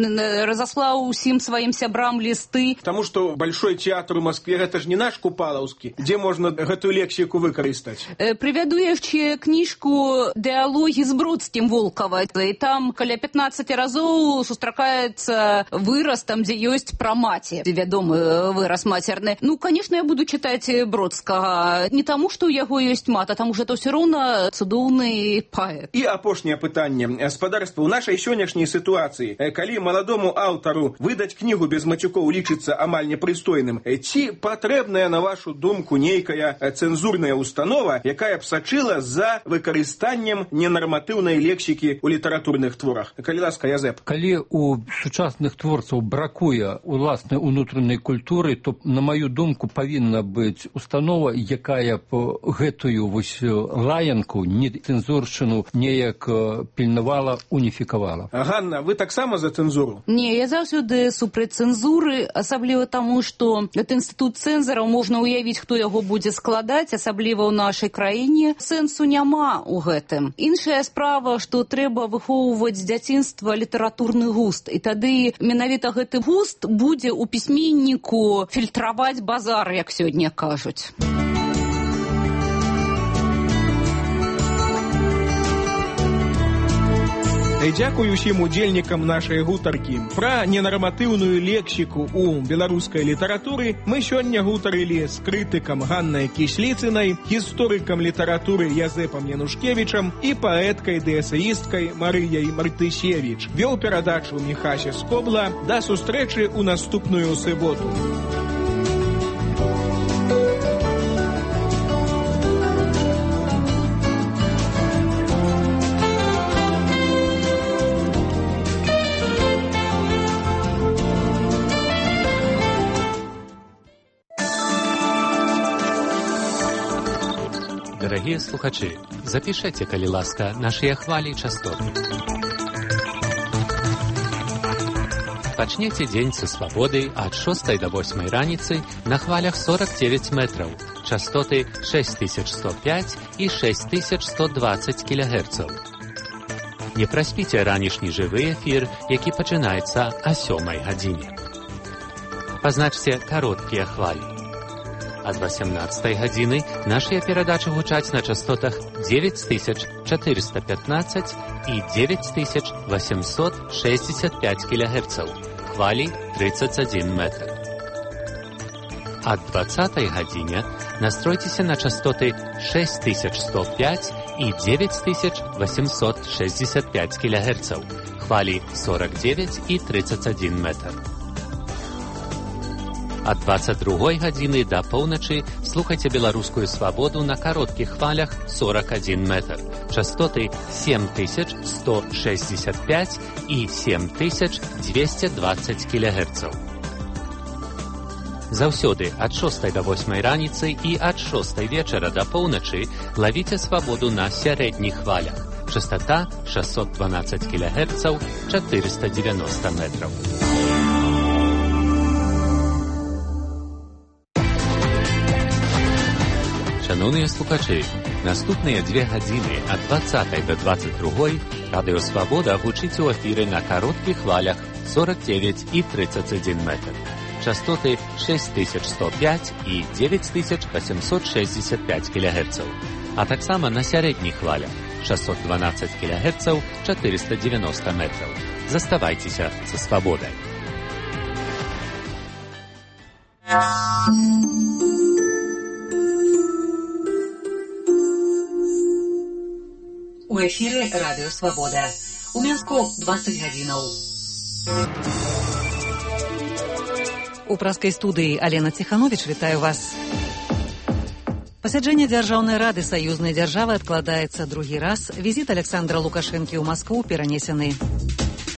разаслаў усім сваім сябрам лісты. Таму што Большой театр у Москве гэта ж не наш Купалаўскі, дзе можна гэтую лексіку выкарыстаць. Э, прывяду яшчэ кніжку «Дыалогі з Бродскім» Волкава. І там каля пятнаццаць разоў сустракаецца выраз там, дзе ёсць пра маці. Вядомы выраз мацерны. Ну, конечно, я буду чытаць Бродскага. Не таму, што ў яго ёсць мат, а таму, што это ўсё роўна цудоўны паэт. І апошняе пытанне. Спадарства, у нашай сённяшняй сітуацыі, калі маладому аўтару выдаць кнігу без мацюкоў лічыцца амаль непрыстойным, ці патрэбная, на вашу думку, нейкая цэнзурная установа, якая б сачыла за выкарыстаннем ненарматыўнай лексікі ў літаратурных творах? Калі ласка, Язэп. Калі у сучасных творцаў бракуе уласнай унутранай культуры, то, на маю думку, павінна быць установа, якая б гэтую вось лаянку, нецэнзуршчыну неяк пільнавала, уніфікавала. Ганна, вы таксама за цэнзуру? Не, я заўсёды супраць цэнзуры, асабліва таму, што гэты інстытут цэнзараў можна ўявіць, хто яго будзе складаць, асабліва ў нашай краіне. Сэнсу няма ў гэтым. Іншая справа, што трэба выхоўваць з дзяцінства літаратурны густ, і тады менавіта гэты густ будзе ў пісьменніку фільтраваць базар, як сёння кажуць. Дзякуй усім удзельнікам нашай гутаркі. Пра ненарматыўную лексіку ў беларускай літаратуры мы сёння гутарылі з крытыкам Ганнай Кісліцынай, гісторыкам літаратуры Язэпам Янушкевічам і паэткай ды эсеісткай Марыяй Мартысевіч. Вёў перадачу Міхася Скобла. Да сустрэчы ў наступную суботу. Дарагія слухачы, запішайце, калі ласка, нашыя хвалі і частоты. Пачнеце дзень са свабоды ад шостай да восьмай раніцы на хвалях сорок девять метраў, частоты шесть тысяч сто пять і шесть тысяч сто двадцать кілогерцаў. Не праспіце ранішні жывы эфір, які пачынаецца о сёмай гадзіне. Пазначце кароткія хвалі. Ад восемнадцатай гадзіны нашыя перадачы гучаць на частотах девять тысяч четыреста пятнадцать і девять тысяч восемьсот шестьдесят пять кілогерцаў, хвалі тридцать один метр. Ад двадцатай гадзіне настройцеся на частоты шесть тысяч сто пять і девять тысяч восемьсот шестьдесят пять кілогерцаў, хвалі сорок девять і тридцать один метр. Ад двадцать другой гадзіны да поўначы слухайце беларускую свабоду на кароткіх хвалях сорок один метр, частоты семь тысяч сто шестьдесят пять і семь тысяч двести двадцать кілогерцаў. Заўсёды ад шостай да восьмай раніцы і ад шостай вечара да поўначы лавіце свабоду на сярэдніх хвалях. Частота шестьсот двенадцать кілогерцаў, четыреста девяносто метров. Шановні слухачі, наступні дві години від двадцятої до двадцять другої Радіо Свобода гучить у ефірі на коротких хвалях сорок дев'ять і тридцять один метр. Частоти шесть тисяч сто п'ять і дев'ять тисяч вісімсот шістдесят п'ять кілогерців. А так само на середніх хвалях шістсот дванадцять кілогерців, чотириста дев'яносто метрів. Заставайтеся со свободой. У ефірі Радіо Свобода. У Мінську двадцять гадзінаў. У праскай студыі Алена Ціхановіч вітаю вас. Пасяджэнне Дзяржаўнай рады саюзнай дзяржавы адкладаецца другі раз. Візіт Александра Лукашэнкі ў Маскву перанесены